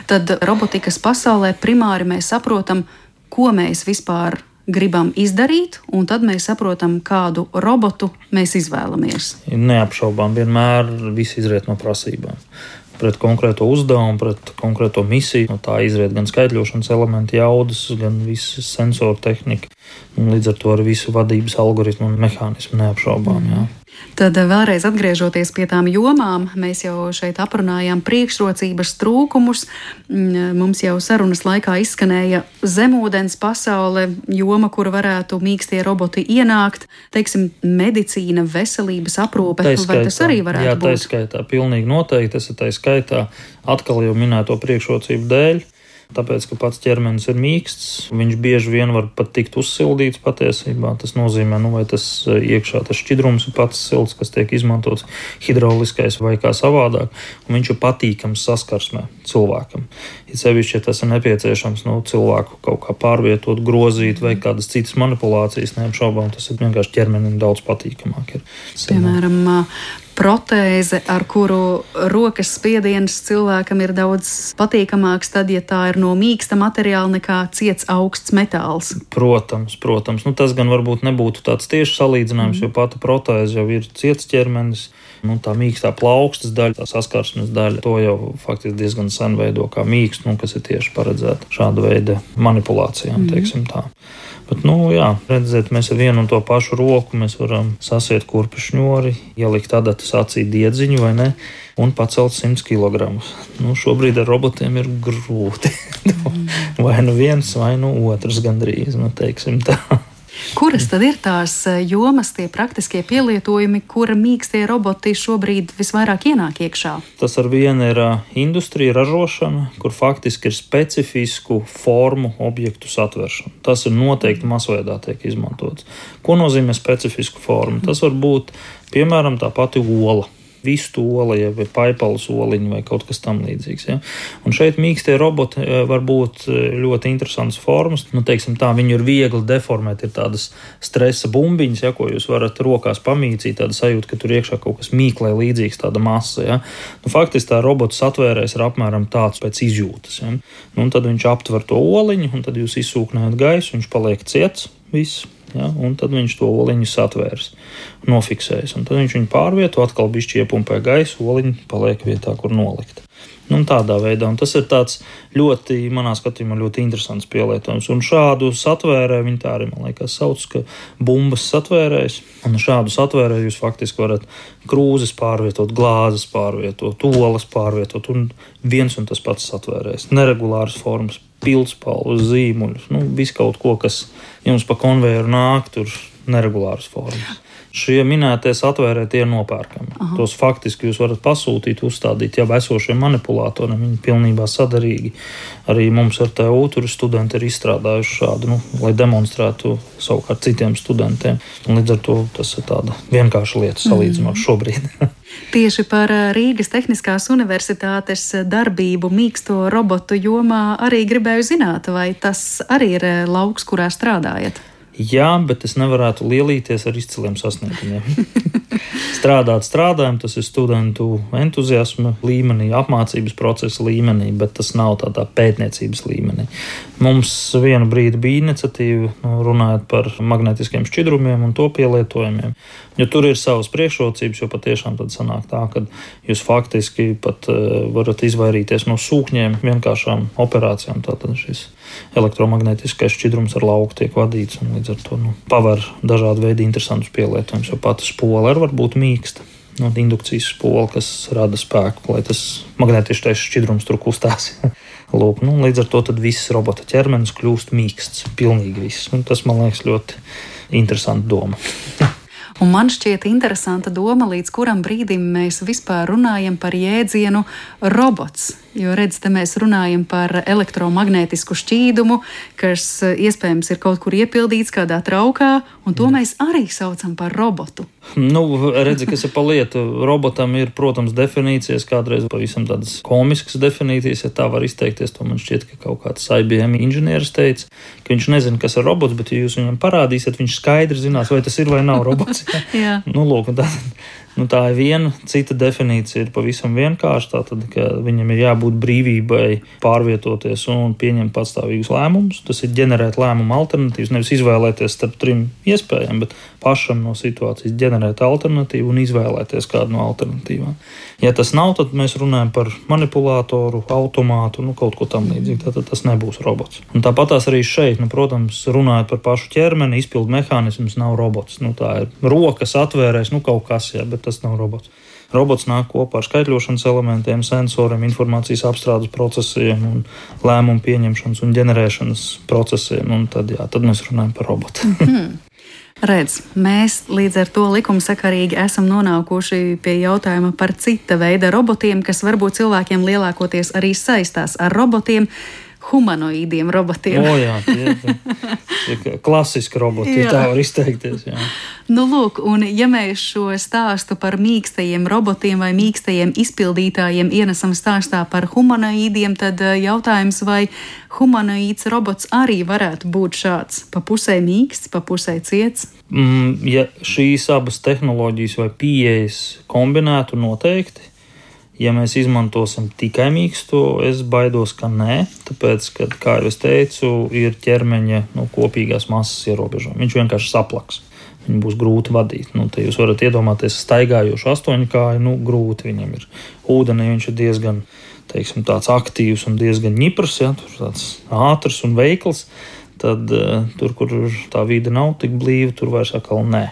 Tad robotikas pasaulē primāri mēs saprotam, ko mēs vispār gribam izdarīt, un tad mēs saprotam, kādu robotu mēs izvēlamies. Neapšaubām, vienmēr viss izriet no prasībām. Pret konkrēto uzdevumu, pret konkrēto misiju. No tā izriet gan skaitļošanas elementi, jaudas, gan visas sensoru tehnika. Līdz ar to arī visu vadības algoritmu un mehānismu neapšaubām. Jā. Tad vēlreiz atgriežoties pie tām jomām, mēs jau šeit aprunājām priekšrocības, trūkumus. Mums jau sarunas laikā izskanēja zemūdens pasaule, joma, kur varētu mīkstie roboti ienākt, teiksim, medicīna, veselības aprūpe, vai tas arī varētu būt? Jā, tā skaitā, pilnīgi noteikti, tas ir tā skaitā atkal jau minēto priekšrocību dēļ. Tāpēc, ka pats ķermenis ir mīksts, viņš bieži vien var pat tikt uzsildīts patiesībā. Tas nozīmē, vai tas iekšā tas šķidrums ir pats silts, kas tiek izmantots hidrauliskais vai kā savādāk, un viņš ir patīkams saskarsmē cilvēkam. Ja sevišķi, ja tas ir nepieciešams, cilvēku kaut kā pārvietot, grozīt vai kādas citas manipulācijas, neapšaubām, tas ir vienkārši ķermenim daudz patīkamāk. Piemēram, protēze, ar kuru rokas spiediens cilvēkam ir daudz patīkamāks, tad, ja tā ir no mīksta materiāla nekā ciets augsts metāls. Protams. Tas gan varbūt nebūtu tāds tieši salīdzinājums, jo pati protēze jau ir ciets ķermenis. Tā mīkstā plaukstas daļa, tā saskarsmes daļa, to jau faktiski diezgan sen veido kā mīkstu, kas ir tieši paredzēta šāda veida manipulācijām, teiksim tā. Bet, redziet, mēs ar vienu un to pašu roku mēs varam sasiet kurpi šņori, ielikt adatas acī diedziņu vai ne, un pacelt 100 kg. Šobrīd ar robotiem ir grūti. Vai viens, vai otrs gandrīz, teiksim tā. Kuras tad ir tās jomas, tie praktiskie pielietojumi, kura mīkstie roboti šobrīd visvairāk ienāk iekšā? Tas ar vienu ir industrija, ražošana, kur faktiski ir specifisku formu objektu satveršana. Tas ir noteikti masveidā tiek izmantots. Ko nozīmē specifisku formu? Tas var būt, piemēram, tā pati ola. Vistu ola, vai paipalas oliņa vai kaut kas tam līdzīgs. Ja? Un šeit mīkstie roboti var būt ļoti interesantas formas. Teiksim tā, viņi ir viegli deformēt, ir tādas stresa bumbiņas, ja, ko jūs varat rokās pamīcīt, tāda sajūta, ka tur iekšā kaut kas mīklē līdzīgs, tāda masa. Ja? Faktiski tā robota satvērējs ir apmēram tāds pēc izjūtas. Ja? Tad viņš aptver to oliņu, un tad jūs izsūknējat gaisu, viņš paliek ciets, viss. Ja, un tad viņš to oliņu satvērs, nofiksējas. Un tad viņš viņu pārvieto, atkal bišķi iepumpē gaisu, oliņu paliek vietā, kur nolikt. Tādā veidā. Un tas ir tāds ļoti, manā skatījumā, ļoti interesants pielietojums. Un šādu satvērēju, viņi tā arī, man liekas, sauc, ka bumbas satvērējs. Un šādu satvērēju jūs faktiski varat krūzes pārvietot, glāzes pārvietot, olas pārvietot un viens un tas pats satvērējs. Neregulāras formas, pildspalvas, zīmuļus, visu kaut ko, kas jums pa konvejeru nāk, tur neregulāras formas. Šie minētie satvērēji tie ir nopērkami. Tos faktiski jūs varat pasūtīt, uzstādīt jau esošiem manipulatoriem. Viņi pilnībā sadarīgi. Arī mums ar TU tur studenti ir izstrādājuši šādu, lai demonstrētu savukārt citiem studentiem. Un līdz ar to tas ir tāda vienkārša lieta salīdzinot šobrīd. Tieši par Rīgas Tehniskās universitātes darbību mīksto robotu jomā arī gribēju zināt, vai tas arī ir lauks, kurā strādājat? Jā, bet es nevarētu lielīties ar izciliem sasniegumiem. Strādājam, tas ir studentu entuziasma līmenī, apmācības procesa līmenī, bet tas nav tādā pētniecības līmenī. Mums vienu brīdi bija iniciatīva, runājot par magnetiskiem šķidrumiem un to pielietojumiem, jo tur ir savas priekšrocības, jo patiešām tad sanāk tā, ka jūs faktiski pat varat izvairīties no sūkņiem vienkāršām operācijām, tātad šis elektromagnētiskais šķidrums ar lauku tiek vadīts un līdz ar to paver dažādu veidu interesantus pielietojumus, jo pati spola var būt mīksta. Indukcijas spola, kas rada spēku, lai tas magnētiskais šķidrums tur kustās. Lūk, līdz ar to tad viss robota ķermenis kļūst mīksts, pilnīgi viss. Un tas, man liekas, ļoti interesanta doma. Un man šķiet interesanta doma, līdz kuram brīdim mēs vispār runājam par jēdzienu robots. Jo, redz, te mēs runājam par elektromagnētisku šķīdumu, kas iespējams ir kaut kur iepildīts kādā traukā, un to mēs arī saucam par robotu. Redzi, kas ir pa lietu. Robotam ir, protams, definīcijas, kādreiz pavisam tādas komiskas definīcijas, ja tā var izteikties. To man šķiet, ka kaut kāds IBM inženieris teica, ka viņš nezina, kas ir robots, bet ja jūs viņam parādīsiet, viņš skaidri zinās, vai tas ir vai nav robots. Jā. Lūk, tā ir viena. Cita definīcija ir pavisam vienkārša. Tātad, ka viņam ir jābūt brīvībai pārvietoties un pieņemt patstāvīgus lēmumus. Tas ir ģenerēt lēmumu alternatīvas, nevis izvēlēties starp trim iespējām, bet pašam no situācijas ģenerēt alternatīvu un izvēlēties kādu no alternatīvām. Ja tas nav, tad mēs runājam par manipulātoru, automātu, kaut ko tam līdzīgu. Tātad tas nebūs robots. Un tāpatās arī šeit, protams, runājot par pašu ķermeni, izpildu mehānisms nav robots. Tā ir rokas atvērēs, kaut kas, bet tas nav robots. Robots nāk kopā ar skaitļošanas elementiem, sensoriem, informācijas apstrādes procesiem un lēmumu pieņemšanas un ģenerēšanas procesiem. Un tad mēs runājam par robotu. Redz, mēs līdz ar to likumsakarīgi esam nonākuši pie jautājuma par cita veida robotiem, kas varbūt cilvēkiem lielākoties arī saistās ar robotiem, humanoīdiem robotiem. Jā, tie klasiski roboti, ja tā var izteikties. Jā. Lūk, un ja mēs šo stāstu par mīkstajiem robotiem vai mīkstajiem izpildītājiem ienesam stāstā par humanoīdiem, tad jautājums, vai humanoīds robots arī varētu būt šāds, pa pusē mīksts, pa pusē ciets? Ja šīs abas tehnoloģijas vai pieejas kombinētu noteikti, ja mēs izmantosim tikai mīksto, es baidos, ka nē, tāpēc, ka, kā jau es teicu, ir ķermeņa kopīgās masas ierobežojumi. Viņš vienkārši saplaks. Viņu būs grūti vadīt. Te jūs varat iedomāties staigājošu astoņkāju, grūti viņam ir. Ūdenī viņš ir diezgan, tāds aktīvs un diezgan ņiprs, tur tāds ātrs un veikls. Tad tur, kur tā vide nav tik blīva, tur vairs atkal nē.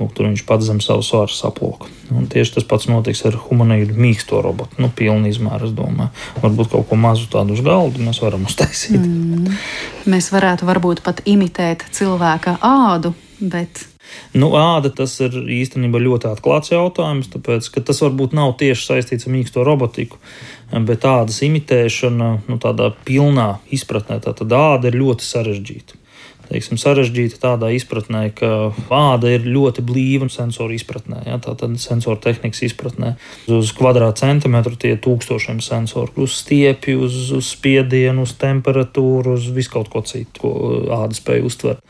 Tur viņš pats zem savu svaru saplūka. Un tieši tas pats notiks ar humanoīdu mīksto robotu. Pilnu izmēru, es domāju. Varbūt kaut ko mazu tādu uz galdu mēs varam uztaisīt. Mēs varētu varbūt pat imitēt cilvēka ādu, bet... Āda tas ir īstenībā ļoti atklāts jautājums, tāpēc, ka tas varbūt nav tieši saistīts ar mīksto robotiku, bet ādas imitēšana, tādā pilnā izpratnē, tātad āda ir ļoti sarežģīta. Sarežģīta tādā izpratnē, ka āda ir ļoti blīva sensoru izpratnē, tātad sensoru tehnikas izpratnē. Uz kvadrātcentimetru tie tūkstošiem sensoru, uz stiepju, uz spiedienu, uz temperatūru, uz visu kaut ko citu, ko āda spēj uztvert.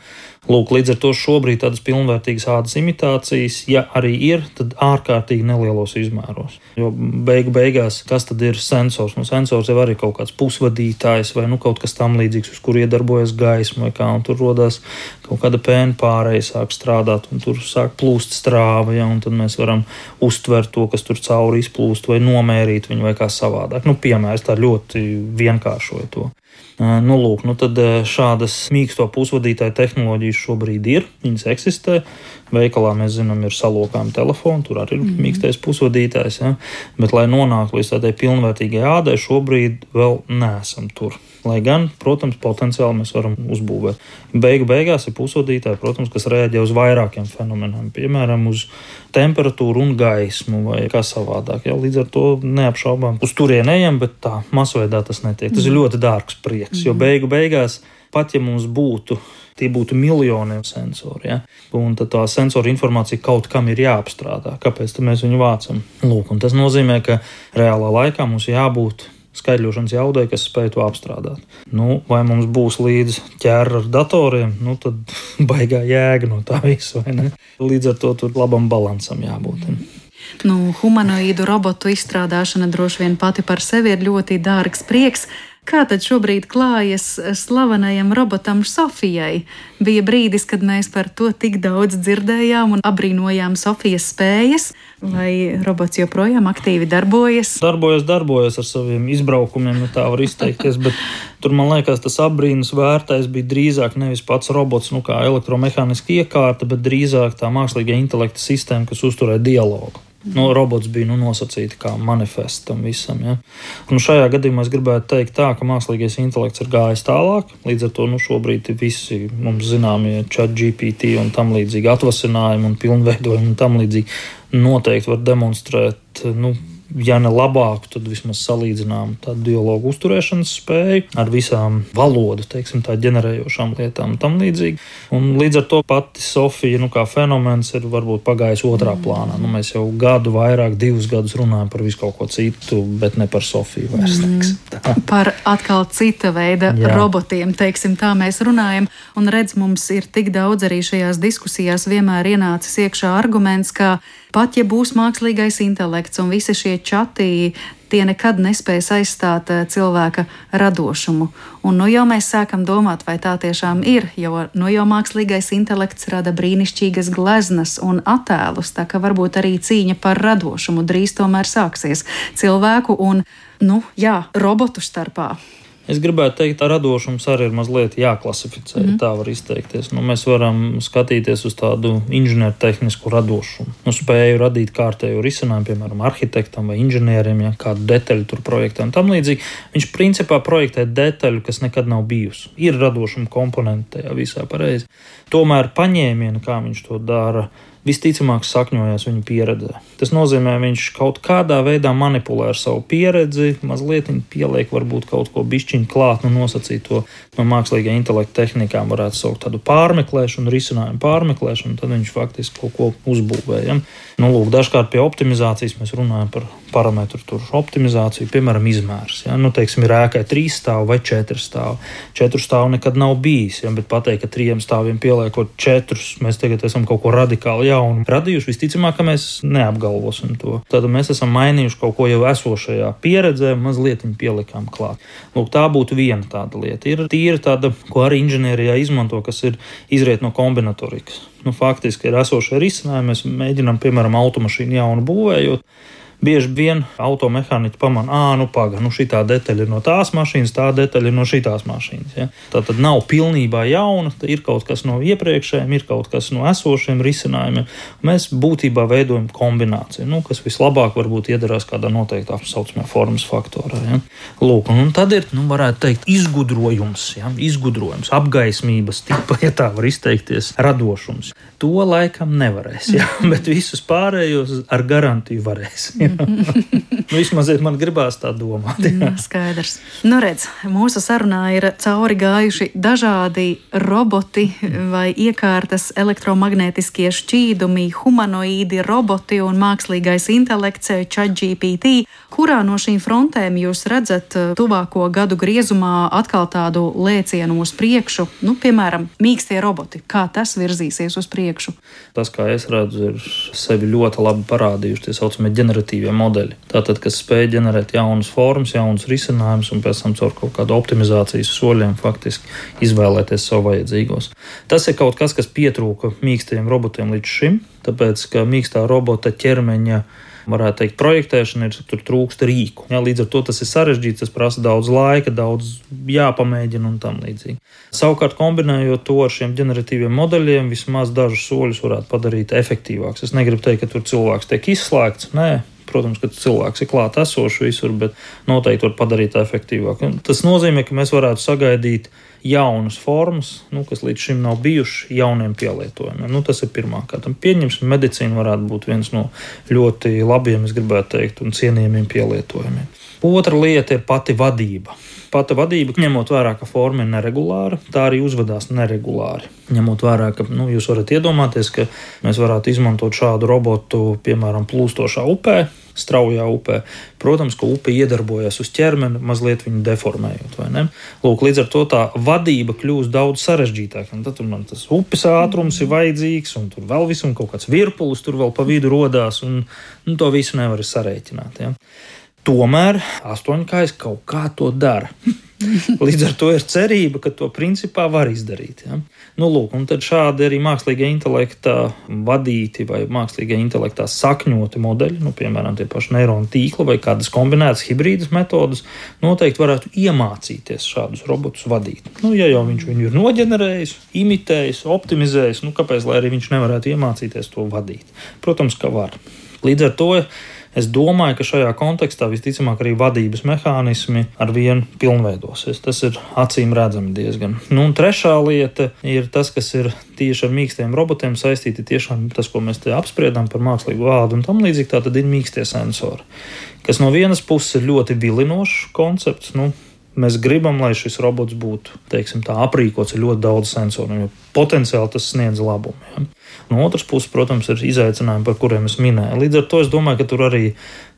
Lūk, līdz ar to šobrīd tādas pilnvērtīgas ādas imitācijas, ja arī ir, tad ārkārtīgi nelielos izmēros. Jo beigās, kas tad ir sensors? Sensors jau arī kaut kāds pusvadītājs vai kaut kas tam līdzīgs, uz kur iedarbojas gaisma vai kā, un tur atrodas, kaut kāda pēna pārēja sāk strādāt, un tur sāk plūst strāva, ja, un tad mēs varam uztvert to, kas tur cauri izplūst, vai nomērīt viņu, vai kā savādāk. Piemērs tā ļoti vienkāršoja to. Lūk, tad šādas mīksto pusvadītāju tehnoloģijas šobrīd ir, viņas eksistē. Veikalā mēs zinām, ir salokājumi telefoni, tur arī ir mīkstais pusvadītājs, ja? Bet, lai nonāktu līdz tādai pilnvērtīgai ādai, šobrīd vēl neesam tur. Lai gan, protams, potenciāli mēs varam uzbūvēt. Beigās ir pusvadītāji, protams, kas rēģē uz vairākiem fenomeniem, piemēram, uz temperatūru un gaismu vai kā savādāk. Ja? Līdz ar to neapšaubām uz turien ejam, bet tā masveidā tas netiek. Tas ir ļoti dārgs prieks, jo beigās, pat ja mums tie būtu miljoniem sensori, ja? Un tad tā sensora informācija kaut kam ir jāapstrādā. Kāpēc tad mēs viņu vācam? Lūk, un tas nozīmē, ka reālā laikā mums jābūt skaidrošanas jaudai, kas spēj to apstrādāt. Vai mums būs līdz ķēra ar datoriem, tad baigā jēga no tā visa, vai ne? Līdz ar to tur labam balansam jābūt. Humanoīdu robotu izstrādāšana droši vien pati par sevi ir ļoti dārgs prieks. Kā tad šobrīd klājas slavenajam robotam Sofijai? Bija brīdis, kad mēs par to tik daudz dzirdējām un abrīnojām Sofijas spējas, vai robots joprojām aktīvi darbojas? Darbojas ar saviem izbraukumiem, ja tā var izteikties, bet tur, man liekas, tas abrīnas vērtais bija drīzāk nevis pats robots, kā elektromehāniska iekārta, bet drīzāk tā mākslīgā intelekta sistēma, kas uzturēja dialogu. Robots bija nosacīti kā manifests tam visam. Ja? Šajā gadījumā es gribētu teikt tā, ka mākslīgais intelekts ir gājis tālāk. Līdz ar to šobrīd visi mums zināmie ChatGPT un tam līdzīgi atvasinājumi un pilnveidojumi un tam līdzīgi noteikti var demonstrēt, ja ne labāku, tad vismaz salīdzinām tādu dialogu uzturēšanas spēju ar visām valodu, tā ģenerējošām lietām un tam līdzīgi. Un līdz ar to pati Sofija, kā fenomens ir varbūt pagājis otrā plānā. Mēs jau gadu vairāk, 2 gadus runājam par visu kaut ko citu, bet ne par Sofiju vairs. Par atkal cita veida robotiem, tā mēs runājam. Un redz, mums ir tik daudz arī šajās diskusijās vienmēr ienācis iekšā arguments, ka pat ja būs mākslīgais intelekts un visi šie čati, tie nekad nespēs aizstāt cilvēka radošumu. Un jau mēs sākam domāt, vai tā tiešām ir, jo jau mākslīgais intelekts rada brīnišķīgas gleznas un attēlus, tā ka varbūt arī cīņa par radošumu drīz tomēr sāksies cilvēku un, robotu starpā. Es gribētu teikt, ka radošums arī ir mazliet jāklasificē, tā var izteikties. Mēs varam skatīties uz tādu inženiertehnisku radošumu. Spēju radīt kārtēju risinājumu, piemēram, arhitektam vai inženieriem, kādu detaļu tur projektē un tam līdzīgi. Viņš principā projektē detaļu, kas nekad nav bijusi. Ir radošuma komponenti tajā visā pareizi. Tomēr paņēmieni, kā viņš to dara, visticamāk sakņojās viņa pieredzē. Tas nozīmē, viņš kaut kādā veidā manipulē ar savu pieredzi, mazliet pieliek varbūt kaut ko bišķiņu klāt, nosacīt to no mākslīgā intelekta tehnikām, varētu saukt tādu pārmeklēšanu, risinājumu pārmeklēšanu, tad viņš faktiski kaut ko uzbūvēja. Dažkārt pie optimizācijas mēs runājam par parametru optimizāciju, piemēram, izmērs. Ir ēkai 3 stāvu vai 4 stāvu. 4 stāvu nekad nav bijis, bet pateikt, ka 3 stāviem pieliekot 4, mēs tagad esam kaut ko radikāli jaunu radījuši, visticamāk, ka mēs neapgalvosim to. Tad mēs esam mainījuši kaut ko jau esošajā pieredzē, mazliet pielikām klāt. Tā būtu viena tāda lieta. Ir tīra tāda, ko arī inženierijā izmanto, kas ir izriet no kombinatorikas. Faktiski ir esošie risinājumi, mēs mēģinām, piemēram, automašīnu jaunu būvējot. Bieži vien automehāniķi pamana, šitā detaļa ir no tās mašīnas, tā detaļa ir no šitās mašīnas. Ja? Tā tad nav pilnībā jauna, ir kaut kas no iepriekšējiem, ir kaut kas no esošiem risinājumiem. Mēs būtībā veidojam kombināciju, kas vislabāk varbūt iedarās kādā noteiktā saucamā formas faktorā. Ja? Un tad ir, varētu teikt, izgudrojums, apgaismības tipa, ja tā var izteikties, radošums. To laikam nevarēs, ja? Bet visus pārējos ar garantiju varēs. Ja? Vismaz man gribās tā domāt. Skaidrs. Redz, mūsu sarunā ir cauri gājuši dažādi roboti vai iekārtas, elektromagnētiskie šķīdumi, humanoīdi roboti un mākslīgais intelekts ChatGPT. kurā no šīm frontēm jūs redzat tuvāko gadu griezumā atkal tādu lēcienu uz priekšu, piemēram, mīkstie roboti? Kā tas virzīsies uz priekšu? Tas, kā es redzu, ir sevi ļoti labi parādījuši tie saucamie ģeneratīvie modeļi. Tātad, kas spēj ģenerēt jaunas formas, jaunas risinājumus un pēc tam caur kaut kādu optimizācijas soļiem faktiski izvēlēties savu vajadzīgos. Tas ir kaut kas pietrūka mīkstajiem robotiem līdz šim, tāpēc, ka mīkstā robota ķermeņa varētu teikt, projektēšana tur trūkst rīku. Jā, līdz ar to tas ir sarežģīts, tas prasa daudz laika, daudz jāpamēģina un tam līdzīgi. Savukārt, kombinējot to ar šiem ģeneratīviem modeļiem, vismaz dažus soļus varētu padarīt efektīvāks. Es negribu teikt, ka tur cilvēks tiek izslēgts, nē. Protams, ka cilvēks ir klāt esošs visur, bet noteikti var padarīt tā efektīvāk. Tas nozīmē, ka mēs varētu sagaidīt jaunas formas, kas līdz šim nav bijuši jauniem pielietojumiem. Tas ir pirmkārt. Pieņemsim, medicīna varētu būt viens no ļoti labiem, es gribētu teikt, un cienījamiem pielietojumiem. Otra lieta ir pati vadība. Pati vadība, ņemot vērā, ka forma ir neregulāra, tā arī uzvedās neregulāri. Ņemot vērā, ka jūs varat iedomāties, ka mēs varētu izmantot šādu robotu, piemēram, plūstošā upē, straujā upē. Protams, ka upe iedarbojas uz ķermeni, mazliet viņu deformējot, vai ne? Lūk, līdz ar to tā vadība kļūst daudz sarežģītāka. Un tad tur man tas upes ātrums ir vajadzīgs, un tur vēl visu, un kaut kāds virpulis tur vēl pa vidu rodās, un to visu nevar sarēķināt, ja? Tomēr astoņkājs kaut kā to dara. Līdz ar to ir cerība, ka to principā var izdarīt. Ja? Lūk, un tad šādi arī mākslīgā intelektā vadīti vai mākslīgā intelektā sakņoti modeļi, piemēram, tie paši neironu tīkli vai kādas kombinētas hibrīdas metodas, noteikti varētu iemācīties šādus robotus vadīt. Ja jau viņš viņu ir noģenerējis, imitējis, optimizējis, kāpēc lai arī viņš nevarētu iemācīties to vadīt? Protams, ka var. Līdz ar to es domāju, ka šajā kontekstā visticamāk arī vadības mehānismi ar vienu pilnveidosies. Tas ir acīm redzami diezgan. Un trešā lieta ir tas, kas ir tieši ar mīkstiem robotiem saistīti, tiešām tas, ko mēs te apspriedām par mākslīgu vādu un tam līdzīgi, tā tad ir mīkstie sensori, kas no vienas puses ir ļoti vilinošs koncepts. Mēs gribam, lai šis robots būtu, aprīkots ar ļoti daudz sensoru, jo potenciāli tas sniedz labumu. Ja? No otras puses, protams, ir izaicinājumi, par kuriem es minēju. Līdz ar to es domāju, ka tur arī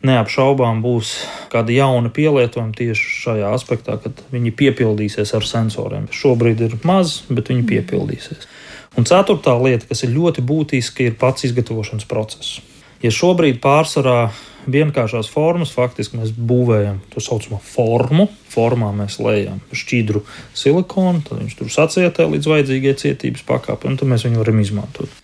neapšaubām būs kādi jauni pielietojumi tieši šajā aspektā, kad viņi piepildīsies ar sensoriem. Šobrīd ir maz, bet viņi piepildīsies. Un ceturtā lieta, kas ir ļoti būtiska, ir pats izgatavošanas process. Ja šobrīd pārsvarā vienkāršās formas, faktiski mēs būvējam to saucamo formu. Formā mēs lejam šķidru silikonu, tad viņš tur sacietē līdz vajadzīgai cietības pakāpei, un tad mēs viņu varam izmantot.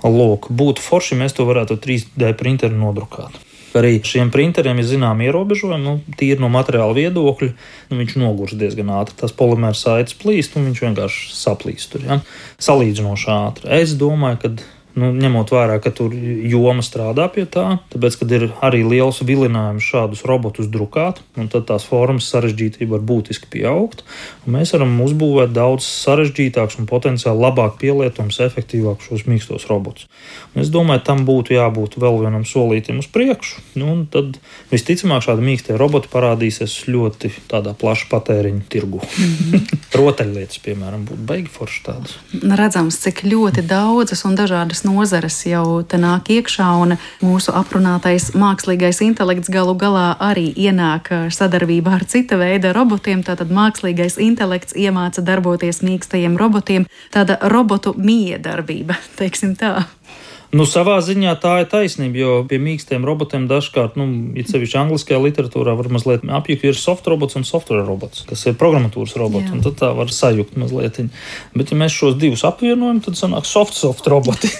Lūk, būtu forši, mēs to varētu 3D printeri nodrukāt. Arī šiem printeriem ir zinām ierobežojumi, tīri no materiāla viedokļa, viņš nogurs diezgan ātri. Tas polimēra saites plīst, un viņš vienkārši saplīst tur, ja? Salīdzinoši ātri. Es domāju, ka ņemot vērā, ka tur joma strādā pie tā, tāpēc, kad ir arī liels vilinājums šādus robotus drukāt, un tad tās formas sarežģītība var būtiski pieaugt, un mēs varam uzbūvēt daudz sarežģītāks un potenciāli labāk pielietojums, efektīvāk šos mīkstos robotus. Un es domāju, tam būtu jābūt vēl vienam solītim uz priekšu, un tad visticamāk šādi mīkstie roboti parādīsies ļoti tādā plaša patēriņa tirgu. Rotaļlietas, piemēram, būtu baigi forši tādas. Redzams, cik ļoti daudzas un dažādas nozares jau te nāk iekšā, un mūsu aprunātais mākslīgais intelekts galu galā arī ienāk sadarbībā ar cita veida robotiem. Tātad mākslīgais intelekts iemāca darboties mīkstajiem robotiem. Tāda robotu miedarbība, teiksim tā. Savā ziņā tā ir taisnība, jo pie mīkstiem robotiem dažkārt, it sevišķi angliskajā literatūrā var mazliet apjukt, ir soft robots un software robots, kas ir programmatūras robots, un tad tā var sajukt mazliet. Bet ja mēs šos divus apvienojam, tad sanāk soft roboti.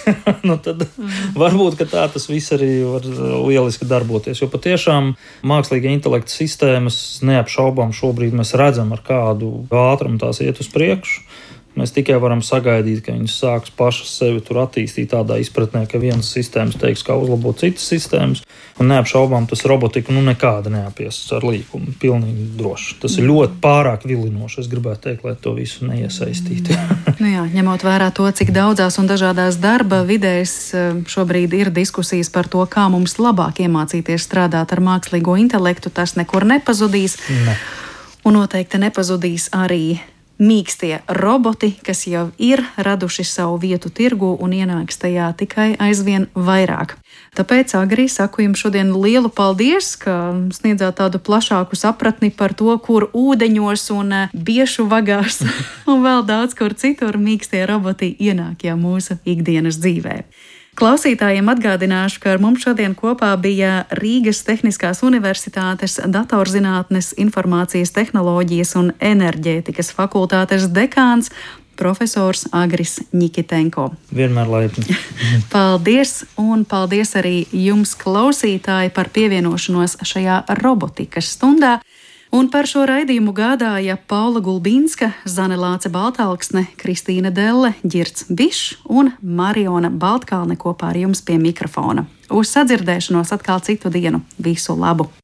Tad varbūt, ka tā tas viss arī var lieliski darboties, jo patiešām mākslīga intelekta sistēmas neapšaubām šobrīd mēs redzam, ar kādu ātrumu tās iet uz priekšu. Mēs tikai varam sagaidīt, ka viņas sāks pašas sevi tur attīstīt tādā izpratnē, ka vienas sistēmas teiks, kā uzlabot citas sistēmas, un neapšaubām tas robotika nekāda neapies ar līkumu, pilnīgi droši. Tas ir ļoti pārāk vilinoši, es gribētu teikt, lai to visu neiesaistītu. Ņemot vērā to, cik daudzās un dažādās darba vidēs šobrīd ir diskusijas par to, kā mums labāk iemācīties strādāt ar mākslīgo intelektu, tas nekur nepazudīs. Ne. Un noteikti nepazudīs arī mīkstie roboti, kas jau ir raduši savu vietu tirgu un ienāks tajā tikai aizvien vairāk. Tāpēc, Agri, saku jums šodien lielu paldies, ka sniedzāt tādu plašāku sapratni par to, kur ūdeņos un biešu vagās un vēl daudz kur citur mīkstie roboti ienāk jau mūsu ikdienas dzīvē. Klausītājiem atgādināšu, ka ar mums šodien kopā bija Rīgas Tehniskās Universitātes datorzinātnes, informācijas tehnoloģijas un enerģētikas fakultātes dekāns profesors Agris Ņikitenko. Vienmēr laipni. Paldies, un paldies arī jums, klausītāji, par pievienošanos šajā robotikas stundā. Un par šo raidījumu gādāja Paula Gulbinska, Zane Lāce Baltalksne, Kristīna Delle, Ģirds Bišs un Mariona Baltkalne kopā ar jums pie mikrofona. Uz sadzirdēšanos atkal citu dienu. Visu labu!